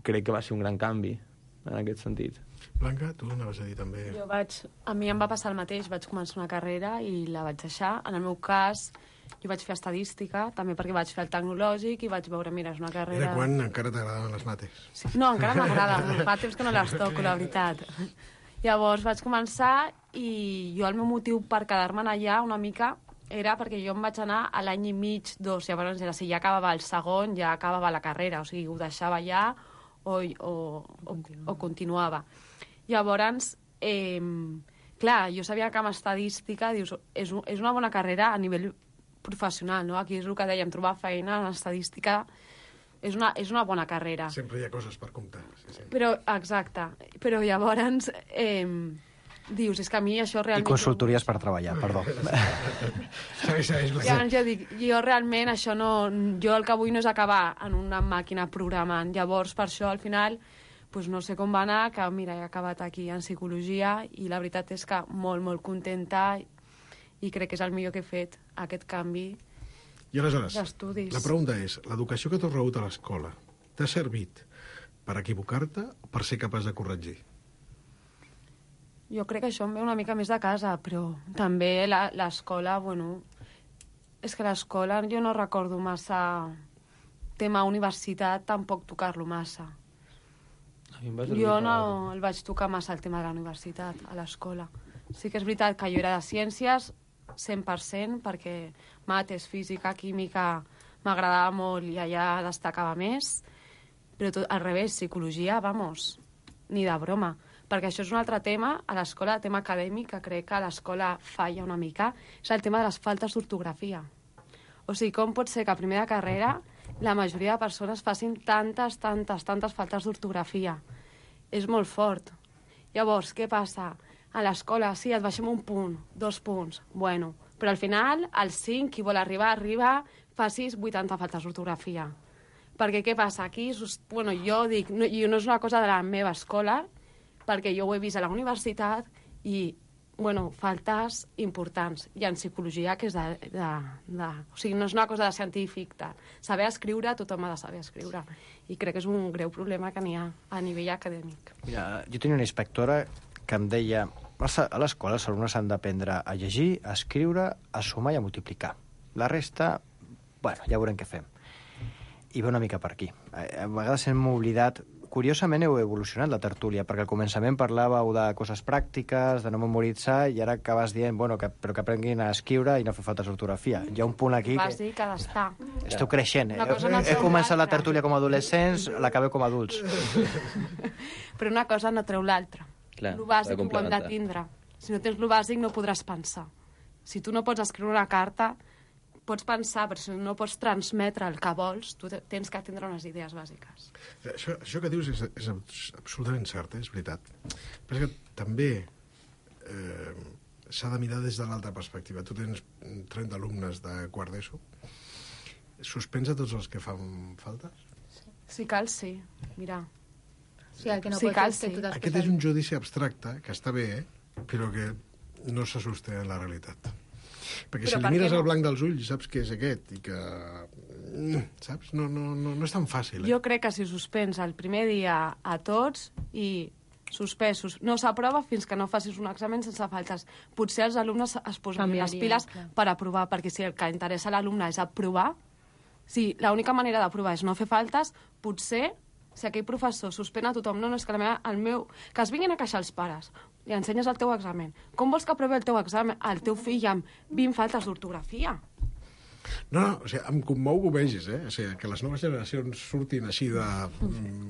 crec que va ser un gran canvi. en aquest sentit. Blanca, tu anaves a dir també... A mi em va passar el mateix, vaig començar una carrera i la vaig deixar. En el meu cas, jo vaig fer estadística, també perquè vaig fer el tecnològic i vaig veure, mira, és una carrera... I de quan encara t'agradaven les mates? Sí. No, encara m'agrada, fa temps que no les toco, la veritat. Llavors vaig començar i jo el meu motiu per quedar-me'n allà una mica era perquè jo em vaig anar a l'any i mig, 2, llavors era, si ja acabava el segon, ja acabava la carrera, o sigui, ho deixava ja o continuava. Llavors, clar, jo sabia que amb estadística, dius, és una bona carrera a nivell professional, no? Aquí és el que dèiem, trobar feina en estadística és una bona carrera. Sempre hi ha coses per comptar. Sí. Però, exacte. Però llavors dius, és que a mi això realment... I consultories per treballar, perdó. Llavors jo dic, jo realment això no... Jo el que vull no és acabar en una màquina programant. Llavors, per això, al final, doncs no sé com va anar, que mira, he acabat aquí en psicologia i la veritat és que molt, molt contenta i crec que és el millor que he fet, aquest canvi I aleshores, d'estudis. La pregunta és, l'educació que t'has rebut a l'escola t'ha servit per equivocar-te o per ser capaç de corregir? Jo crec que això em ve una mica més de casa, però també l'escola, bueno... És que l'escola jo no recordo massa... Tema universitat, tampoc tocar-lo massa. Jo no el vaig tocar massa el tema de la universitat, a l'escola. Sí que és veritat que jo era de ciències, 100%, perquè mates, física, química m'agradava molt i allà destacava més, però tot, al revés, psicologia, vamos, ni de broma. Perquè això és un altre tema, a l'escola, el tema acadèmic, que crec que a l'escola falla una mica, és el tema de les faltes d'ortografia. O sigui, com pot ser que a primera carrera la majoria de persones facin tantes faltes d'ortografia? És molt fort. Llavors, què passa? A l'escola, sí, et baixem un punt, 2 punts, bueno, però al final, al 5, qui vol arribar, facis 80 faltes d'ortografia. Perquè què passa? Aquí, bueno, jo dic, no és una cosa de la meva escola, perquè jo ho he vist a la universitat i, bueno, faltes importants. I en psicologia, que és o sigui, no és una cosa de científic. Saber escriure, tothom ha de saber escriure. I crec que és un greu problema que n'hi ha a nivell acadèmic. Mira, jo tenia una inspectora que em deia a l'escola els alumnes han d'aprendre a llegir, a escriure, a sumar i a multiplicar. La resta, bueno, ja veurem què fem. I va una mica per aquí. A vegades hem oblidat... Curiosament heu evolucionat la tertúlia, perquè al començament parlàveu de coses pràctiques, de no memoritzar, i ara acabes dient, bueno, però que aprenguin a escriure i no fer faltes d'ortografia. Hi ha un punt aquí... Bàsic ha d'estar. Esteu creixent. He començat la tertúlia com a adolescents, l'acabeu com a adults. Però una cosa no treu l'altra. Lo bàsic ho hem de tindre. Si no tens lo bàsic no podràs pensar. Si tu no pots escriure una carta, pots pensar, però si no pots transmetre el que vols, tu tens que tindre unes idees bàsiques. Això que dius és absolutament cert, és veritat. Però és que també s'ha de mirar des de l'altra perspectiva. Tu tens 30 alumnes de quart d'ESO. Suspens a tots els que fan faltes? Si cal, sí. Mira. Sí, el que no pot és que tu t'has Aquest és un judici abstracte, que està bé, però que no se sosté en la realitat. Perquè si li mires al blanc dels ulls saps que és aquest i que... Saps? No és tan fàcil. Jo crec que si suspens el primer dia a tots i suspesos, no s'aprova fins que no facis un examen sense faltes. Potser els alumnes es posen les piles per aprovar, perquè si el que interessa a l'alumne és aprovar, si l'única manera d'aprovar és no fer faltes, potser si aquell professor suspèn a tothom, no, és que que es vinguin a queixar els pares, li ensenyes el teu examen. Com vols que aprovi el teu examen el teu fill amb 20 faltes d'ortografia? No, o sigui, em commou que ho vegis, O sigui, que les noves generacions surtin així de...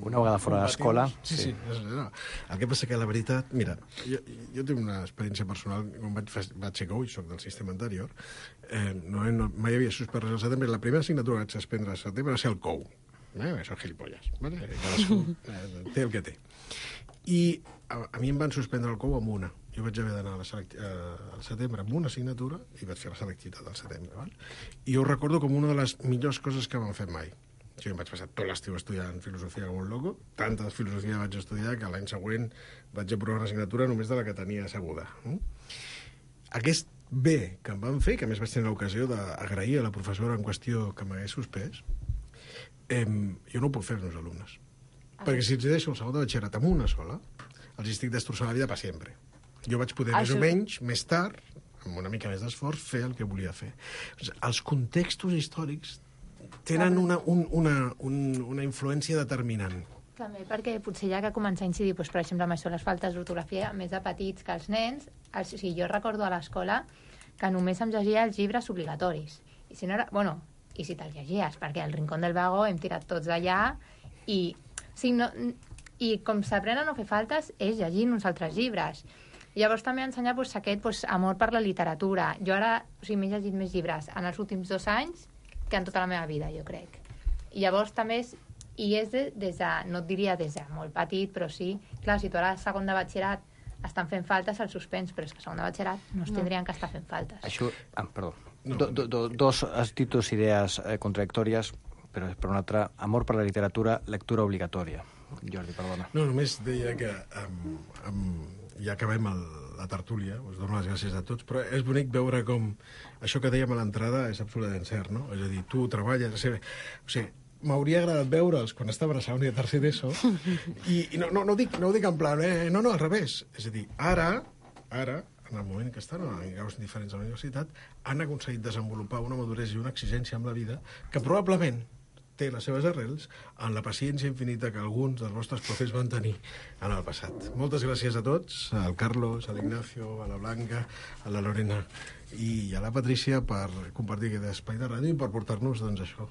Una vegada fora de l'escola. Sí. No. El que passa que la veritat... Mira, jo tinc una experiència personal, quan vaig ser coach, soc del sistema anterior, mai havia suspès res al setembre, la primera assignatura que vaig suspendre al setembre va ser el COU. Són gilipolles. Cadascú té el que té. I a mi em van suspendre el COU amb una. Jo vaig haver d'anar al setembre amb una assignatura i vaig fer la selectivitat al setembre. Val? I ho recordo com una de les millors coses que m'han fet mai. Jo em vaig passar tot l'estiu estudiant filosofia com un loco, tanta filosofia vaig estudiar que l'any següent vaig aprovar una assignatura només de la que tenia asseguda. Aquest bé que em van fer, que a més vaig tenir l'ocasió d'agrair a la professora en qüestió que m'hagués suspès, jo no ho puc fer als meus alumnes. Perquè si els deixo el segon de batxillerat amb una sola, els estic destrossant la vida per sempre. Jo vaig poder, més o menys, més tard, amb una mica més d'esforç, fer el que volia fer. Els contextos històrics tenen una influència determinant. També perquè potser ja que comença a incidir, doncs, per exemple, amb això, les faltes d'ortografia, més de petits que els nens, o sigui, jo recordo a l'escola que només em llegia els llibres obligatoris. I si no era, bueno, i si te'ls llegies, perquè al Rincón del Vago hem tirat tots d'allà i, o sigui, no, i com s'aprenen a no fer faltes és llegint uns altres llibres. I llavors també ensenyar doncs, aquest amor per la literatura. Jo ara m'he llegit més llibres en els últims 2 anys que en tota la meva vida, jo crec. I llavors també és des de, no et diria des de molt petit, però sí, clar, si tu ara a segon de batxillerat estan fent faltes al suspens, però és que a segon de batxillerat no es tindrien que estar fent faltes. Això, perdó, has dit 2 idees contradictòries, però per una altra, amor per la literatura, lectura obligatòria. Jordi, perdona. No, només deia que ja acabem la tertúlia, us dono les gràcies a tots, però és bonic veure com això que dèiem a l'entrada és absolutament cert, no? És a dir, tu treballes... O sigui, m'hauria agradat veure'ls quan estaven a segon i a tercer d'ESO i no ho dic en plan, no, al revés. És a dir, ara, en el moment que estan en graus diferents a la universitat, han aconseguit desenvolupar una maduresa i una exigència amb la vida que probablement té les seves arrels en la paciència infinita que alguns dels vostres profes van tenir en el passat. Moltes gràcies a tots, al Carlos, a l'Ignacio, a la Blanca, a la Lorena i a la Patrícia per compartir aquest espai de ràdio i per portar-nos, doncs, això,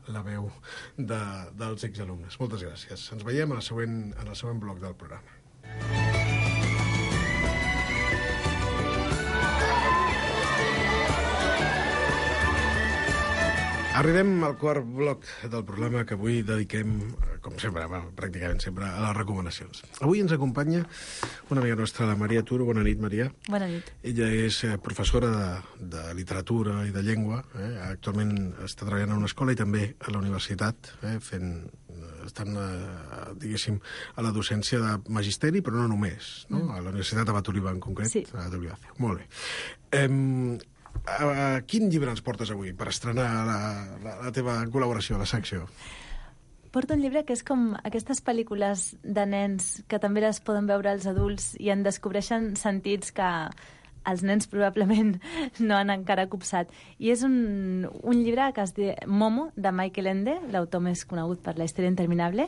la veu dels exalumnes. Moltes gràcies. Ens veiem en el següent bloc del programa. Arribem al quart bloc del programa que avui dediquem, com sempre, pràcticament sempre, a les recomanacions. Avui ens acompanya una amiga nostra, la Maria Turo. Bona nit, Maria. Bona nit. Ella és professora de literatura i de llengua. Actualment està treballant a una escola i també a la universitat, estan, diguéssim, a la docència de magisteri, però no només, no? A la Universitat de Batoliva, en concret. Sí. Molt bé. Quin llibre ens portes avui per estrenar la teva col·laboració a la secció? Porto un llibre que és com aquestes pel·lícules de nens que també les poden veure els adults i en descobreixen sentits que els nens probablement no han encara copsat. I és un llibre que es diu Momo, de Michael Ende, l'autor més conegut per La història interminable.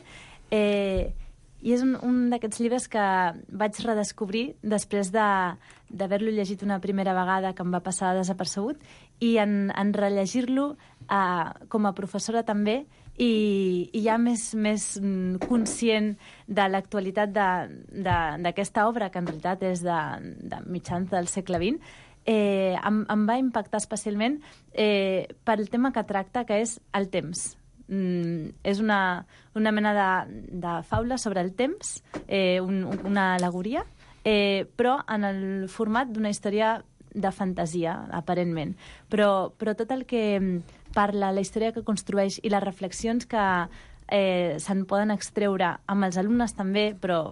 I és un d'aquests llibres que vaig redescobrir després d'haver-lo llegit una primera vegada que em va passar desapercebut i en rellegir-lo com a professora també i ja més conscient de l'actualitat d'aquesta obra, que en realitat és de mitjans del segle XX, em va impactar especialment pel tema que tracta, que és el temps. És una mena de faula sobre el temps, una al·legoria, però en el format d'una història de fantasia, aparentment. Però tot el que parla, la història que construeix i les reflexions que se'n poden extreure amb els alumnes també, però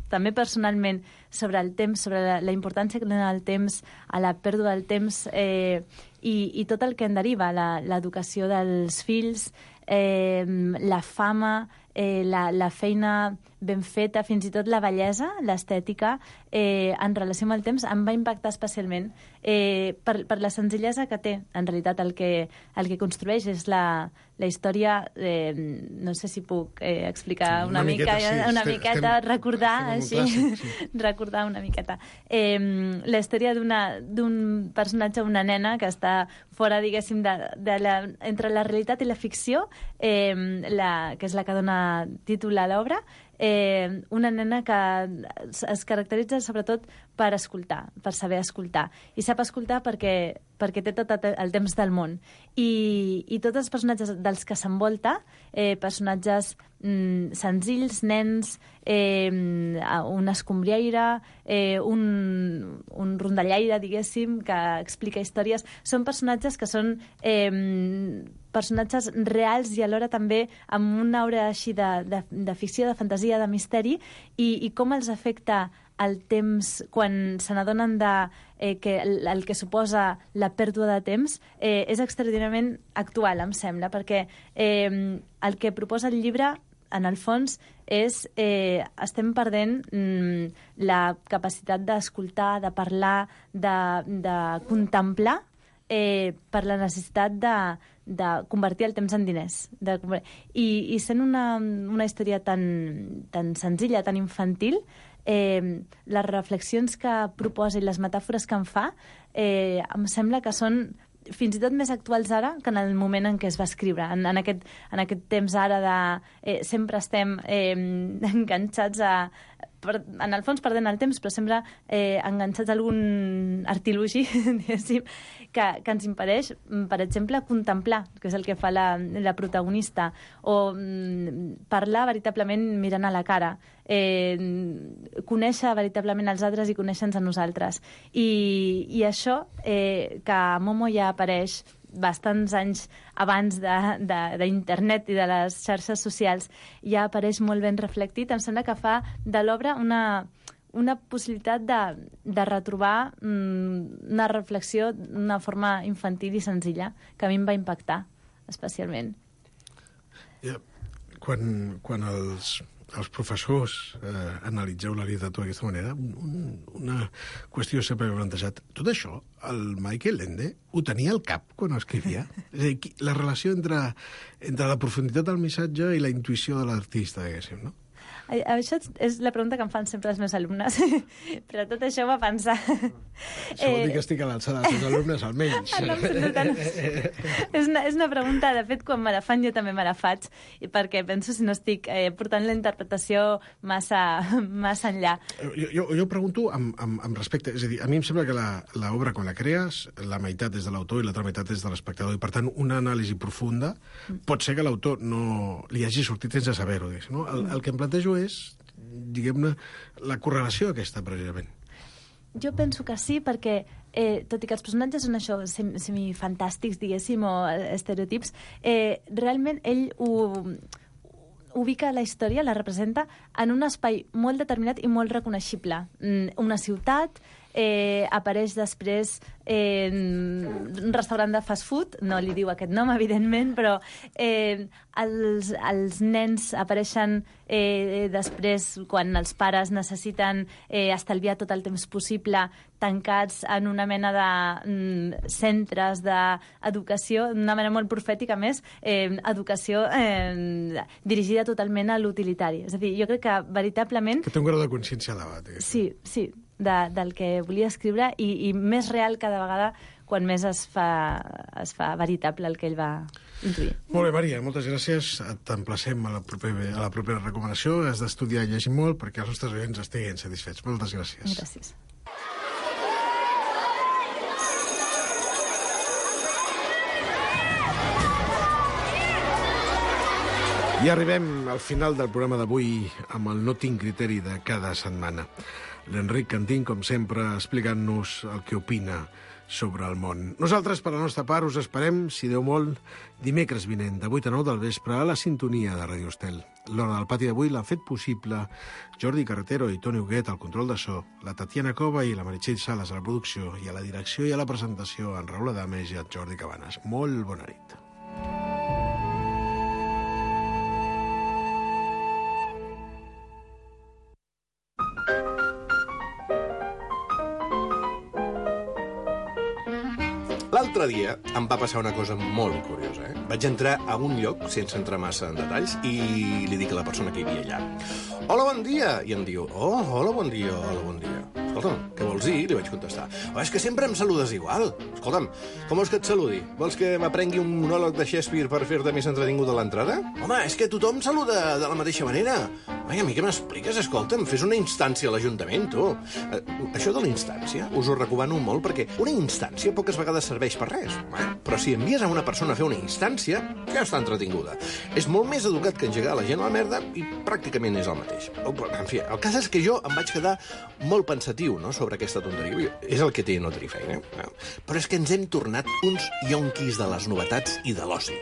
també personalment, sobre el temps, sobre la importància que dona el temps, a la pèrdua del temps i tot el que en deriva, l'educació dels fills, la fama, la feina ben feta, fins i tot la bellesa, l'estètica, en relació amb el temps, em va impactar especialment per la senzillesa que té. En realitat, el que construeix és la història, no sé si puc explicar una miqueta, recordar una miqueta. La història d'un personatge, una nena, que està fora, diguéssim, entre la realitat i la ficció, que és la que dona títol a l'obra, una nena que es caracteritza sobretot per escoltar, per saber escoltar. I sap escoltar perquè té tot el temps del món. I tots els personatges dels que s'envolta, personatges senzills, nens, un escombriaire, un rondallaire, diguéssim, que explica històries, són personatges que són personatges reals i alhora també amb una aura així de ficció, de fantasia, de misteri, i com els afecta el temps quan se n'adonen que el que suposa la pèrdua de temps és extraordinàriament actual, em sembla, perquè el que proposa el llibre en el fons, estem perdent la capacitat d'escoltar, de parlar, de contemplar, per la necessitat de convertir el temps en diners. I sent una història tan senzilla, tan infantil, les reflexions que proposa i les metàfores que en fa em sembla que són fins i tot més actuals ara que en el moment en què es va escriure. En aquest temps ara de... sempre estem enganxats en el fons perdent el temps, però sempre enganxats a algun artilugi, diguéssim, que ens impedeix, per exemple, contemplar, que és el que fa la protagonista, o parlar veritablement mirant a la cara, conèixer veritablement els altres i conèixer-nos a nosaltres. I això, que a Momo ja apareix bastants anys abans d'internet i de les xarxes socials, ja apareix molt ben reflectit. Em sembla que fa de l'obra una possibilitat de retrobar una reflexió d'una forma infantil i senzilla, que a mi em va impactar especialment. Quan els professors analitzeu la literatura d'aquesta manera, una qüestió sempre m'he plantejat. Tot això, el Michael Ende ho tenia al cap quan ho escrivia? És a dir, la relació entre la profunditat del missatge i la intuïció de l'artista, diguéssim, no? Això és la pregunta que em fan sempre els meus alumnes, però tot això va pensar. Això vol dir que estic a l'alçada dels meus alumnes, almenys. És una pregunta, de fet, quan me la fan jo també me la faig, perquè penso si no estic portant la interpretació massa enllà. Jo pregunto amb respecte, és a dir, a mi em sembla que l'obra, quan la crees, la meitat és de l'autor i l'altra meitat és de l'espectador, i per tant una anàlisi profunda pot ser que l'autor no li hagi sortit sense saber-ho, no? El que em plantejo és, diguem-ne, la correlació aquesta, precisament. Jo penso que sí, perquè tot i que els personatges són això, semifantàstics, diguéssim, o estereotips, realment ell ubica la història, la representa en un espai molt determinat i molt reconeixible. Una ciutat, apareix després un restaurant de fast food, no li diu aquest nom, evidentment, però els nens apareixen després quan els pares necessiten estalviar tot el temps possible tancats en una mena de centres d'educació, d'una manera molt profètica, més, educació dirigida totalment a l'utilitari. És a dir, jo crec que veritablement... Que té un grau de consciència elevat. Sí, del que volia escriure i més real cada vegada quan més es fa veritable el que ell va intuir. Molt bé, Maria, moltes gràcies. T'emplacem a la propera recomanació. Has d'estudiar i llegir molt perquè els nostres oients estiguin satisfets. Moltes gràcies. Gràcies. I arribem al final del programa d'avui amb el No tinc criteri de cada setmana. L'Enric Cantín, com sempre, explicant-nos el que opina sobre el món. Nosaltres, per la nostra part, us esperem, si Déu vol, dimecres vinent, de 8 a 9 del vespre, a la sintonia de Radio Estel. L'Hora del Pati d'avui l'han fet possible Jordi Carretero i Toni Huguet al control de so, la Tatiana Cova i la Meritxell Sales a la producció, i a la direcció i a la presentació en Raül Adames i en Jordi Cabanes. Molt bona nit. L'altre dia em va passar una cosa molt curiosa. Vaig entrar a un lloc, sense entrar massa en detalls, i li dic a la persona que hi havia allà: hola, bon dia! I em diu: oh, hola, bon dia, hola, bon dia. Escolta'm, què vols dir? Li vaig contestar: oh, és que sempre em saludes igual. Escolta'm, com vols que et saludi? Vols que m'aprengui un monòleg de Shakespeare per fer-te més entretingut a l'entrada? Home, és que tothom saluda de la mateixa manera. Ai, a mi què m'expliques? Escolta'm, fes una instància a l'Ajuntament, tu. Això de la instància us ho recomano molt, perquè una instància poques vegades serveix per res. Però si envies a una persona a fer una instància, ja està entretinguda. És molt més educat que engegar la gent a la merda i pràcticament és el mateix. En fi, el cas és que jo em vaig quedar molt pensatiu, no?, sobre aquesta tonteria. És el que té no tenir feina. Però és que ens hem tornat uns yonquis de les novetats i de l'oci.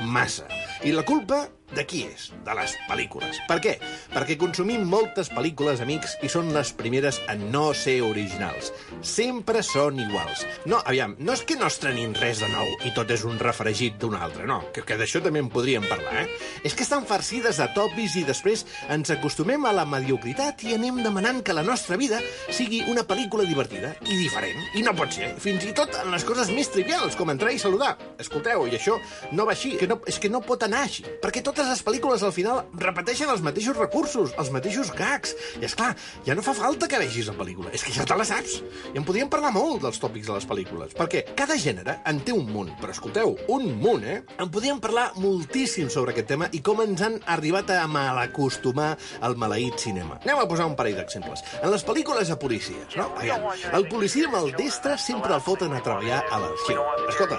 Massa. I la culpa De qui és? De les pel·lícules. Per què? Perquè consumim moltes pel·lícules, amics, i són les primeres a no ser originals. Sempre són iguals. No, aviam, no és que no estrenin res de nou i tot és un refregit d'un altre, no, que d'això també en podríem parlar, És que estan farcides de tòpics i després ens acostumem a la mediocritat i anem demanant que la nostra vida sigui una pel·lícula divertida i diferent. I no pot ser, fins i tot en les coses més trivials, com entrar i saludar. Escolteu, i això no va així, és que no pot anar així, perquè totes les pel·lícules al final repeteixen els mateixos recursos, els mateixos gags. I esclar, ja no fa falta que vegis la pel·lícula, és que ja te la saps. I en podríem parlar molt dels tòpics de les pel·lícules, perquè cada gènere en té un munt, però escolteu, un munt, En podríem parlar moltíssim sobre aquest tema i com ens han arribat a malacostumar al maleït cinema. Anem a posar un parell d'exemples. En les pel·lícules de policies, no? Aviam, el policia maldestre sempre el foten a treballar a l'arxiu. Escolta,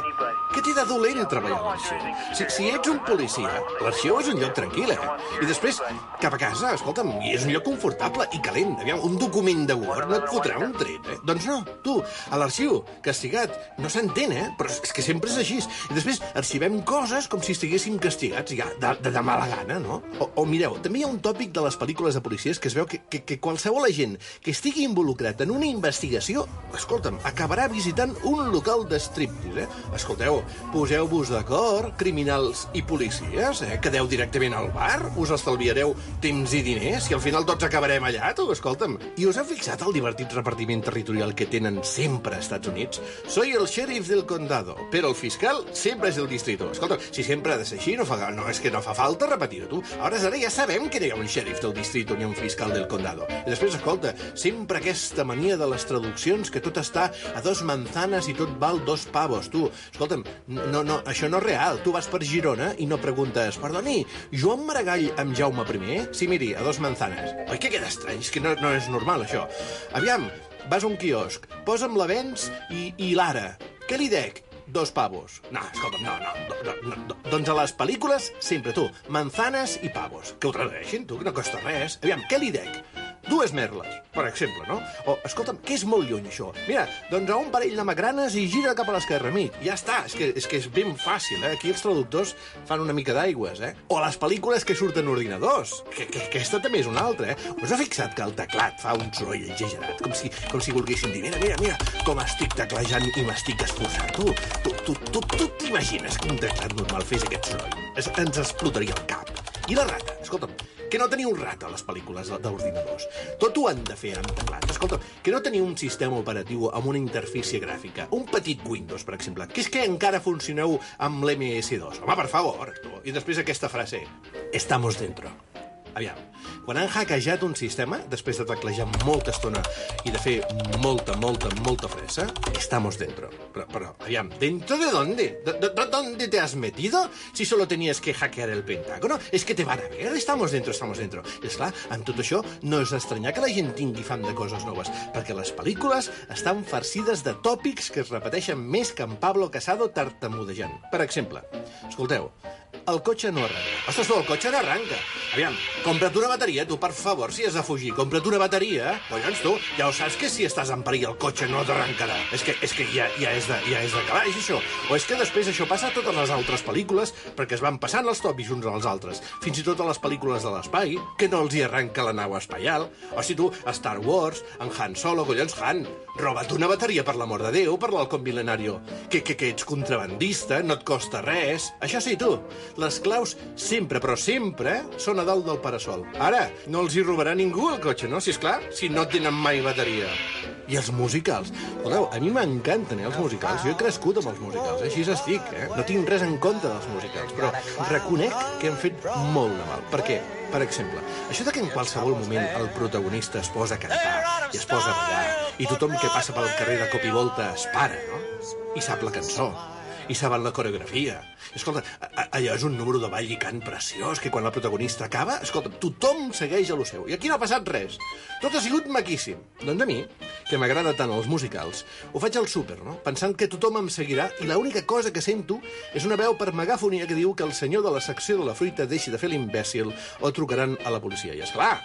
què té de dolent treballar a l'arxiu? Si ets un policia, l'arxiu és un lloc tranquil, I després, cap a casa, escolta'm, és un lloc confortable i calent. Aviam, un document de Word no et fotrà un tret, Doncs no, tu, a l'arxiu, castigat, no s'entén, Però és que sempre és així. I després arxivem coses com si estiguéssim castigats, ja, de mala gana, no? O mireu, també hi ha un tòpic de les pel·lícules de policies que es veu que qualsevol agent que estigui involucrat en una investigació, escolta'm, acabarà visitant un local de striptease, Escolteu, poseu-vos d'acord, criminals i policies, Quedeu directament al bar, us estalviareu temps i diners i al final tots acabarem allà, tu, escolta'm. I us ha fixat el divertit repartiment territorial que tenen sempre als Estats Units? Soy el sheriff del condado, però el fiscal sempre és del distrito. Escolta, si sempre ha de ser així, és que no fa falta repetir-ho, tu. Ara ja sabem que hi ha un sheriff del distrito ni un fiscal del condado. I després, escolta, sempre aquesta mania de les traduccions, que tot està a 2 manzanas i tot val 2 pavos, tu. Escolta'm, no, això no és real. Tu vas per Girona i no preguntes, perdoni, Joan Maragall amb Jaume I? Sí, miri, a 2 manzanas. Oi que queda estrany? És que no és normal, això. Aviam, vas a un quiosc, posa'm l'Avenç i l'Ara. Què li dec? 2 pavos. No, escolta'm, no. Doncs a les pel·lícules, sempre tu, manzanas i pavos. Que ho tradueixin, tu, que no costa res. Aviam, què li dec? 2 merles, per exemple, no? O, escolta'm, què és molt lluny, això? Mira, doncs a un parell de magranes i gira cap a l'esquerra, amic. Ja està, és que és ben fàcil, Aquí els traductors fan una mica d'aigües, O les pel·lícules que surten ordinadors, que aquesta també és una altra, Us ha fixat que el teclat fa un soroll exagerat, com si volguessin dir, mira, com estic teclejant i m'estic esforçant. Tu t'imagines que un teclat normal fes aquest soroll? Ens explotaria el cap. I la rata, escolta'm, que no teniu un rata a les pel·lícules d'ordinadors. Tot ho han de fer amb teclat. Escolta, que no teniu un sistema operatiu amb una interfície gràfica, un petit Windows, per exemple, que és que encara funcioneu amb l'MS2. Home, per favor, tu. I després aquesta frase, estamos dentro. Aviam, quan han hackejat un sistema, després de teclejar molta estona i de fer molta fressa, estamos dentro. Però, aviam, ¿dentro de dónde? ¿Dónde te has metido? Si solo tenías que hackear el Pentágono. Es que te van a ver, estamos dentro. I esclar, amb tot això, no és estranyar que la gent tingui fam de coses noves, perquè les pel·lícules estan farcides de tòpics que es repeteixen més que en Pablo Casado tartamudejant. Per exemple, escolteu, el cotxe no arranca. Ostres, no, el cotxe no arranca. Aviam, compra't una bateria, tu, per favor, si has de fugir. Compra't una bateria. Collons, tu, ja ho saps que si estàs en perill el cotxe no t'arrencarà. És que ja és de calaix, això. O és que després això passa a totes les altres pel·lícules perquè es van passant els tòpics uns als altres. Fins i tot a les pel·lícules de l'espai, que no els hi arranca la nau espacial. O si tu, a Star Wars, en Han Solo, collons, Han, roba't una bateria, per l'amor de Déu, per l'halcón milenario. Que ets contrabandista, no et costa res. Això sí, tu, les claus sempre, però sempre, són a dalt del parasol. Ara, no els hi robarà ningú el cotxe, no? Si és clar, si no tenen mai bateria. I els musicals. Voleu, a mi m'encanten, els musicals. Jo he crescut amb els musicals, així estic, No tinc res en compte dels musicals, però reconec que han fet molt de mal. Per què? Per exemple, això de que en qualsevol moment el protagonista es posa a cantar i es posa a ballar i tothom que passa pel carrer de cop i volta es para, no? I sap la cançó, i saben la coreografia. Escolta, allò és un número de ball i cant preciós, que quan el protagonista acaba, escolta, tothom segueix a lo seu. I aquí no ha passat res. Tot ha sigut maquíssim. Doncs a mi, que m'agrada tant els musicals, ho faig al súper, no? Pensant que tothom em seguirà i l'única cosa que sento és una veu per megàfonia que diu que el senyor de la secció de la fruita deixi de fer l'imbècil o trucaran a la policia. I esclar,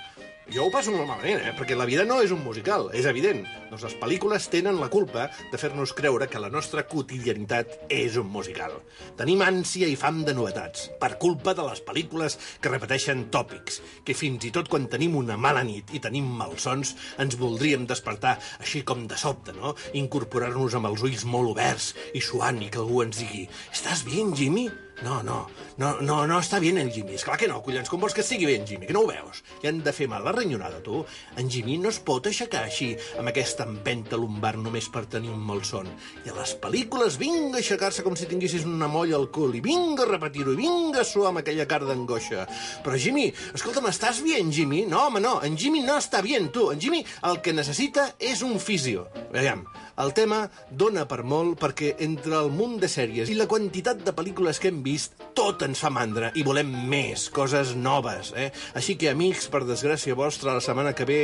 Jo ho passo molt malament, perquè la vida no és un musical, és evident. Doncs les pel·lícules tenen la culpa de fer-nos creure que la nostra quotidianitat és un musical. Tenim ànsia i fam de novetats, per culpa de les pel·lícules que repeteixen tòpics, que fins i tot quan tenim una mala nit i tenim malsons, ens voldríem despertar així com de sobte, no? Incorporar-nos amb els ulls molt oberts i suant i que algú ens digui «Estàs bé, Jimmy?» No està bé el Jimmy. Esclar que no, collons, com vols que estigui bé en Jimmy, que no ho veus? Ja han de fer mal la renyorada, tu. En Jimmy no es pot aixecar així, amb aquesta empenta lumbar només per tenir un malson. I a les pel·lícules vinga a aixecar-se com si tinguessis una molla al cul, i vinga a repetir-ho, i vinga a suar amb aquella cara d'angoixa. Però Jimmy, escolta'm, estàs bé en Jimmy? No, home, no, en Jimmy no està bé, tu. En Jimmy el que necessita és un fisio. Veiem, el tema dona per molt perquè entre el munt de sèries i la quantitat de pel·lícules que hem vist, tot ens fa mandra i volem més, coses noves, eh? Així que, amics, per desgràcia vostra, la setmana que ve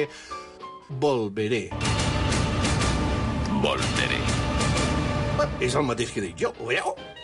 volveré. Volveré. És el mateix que dic jo, ho veieu?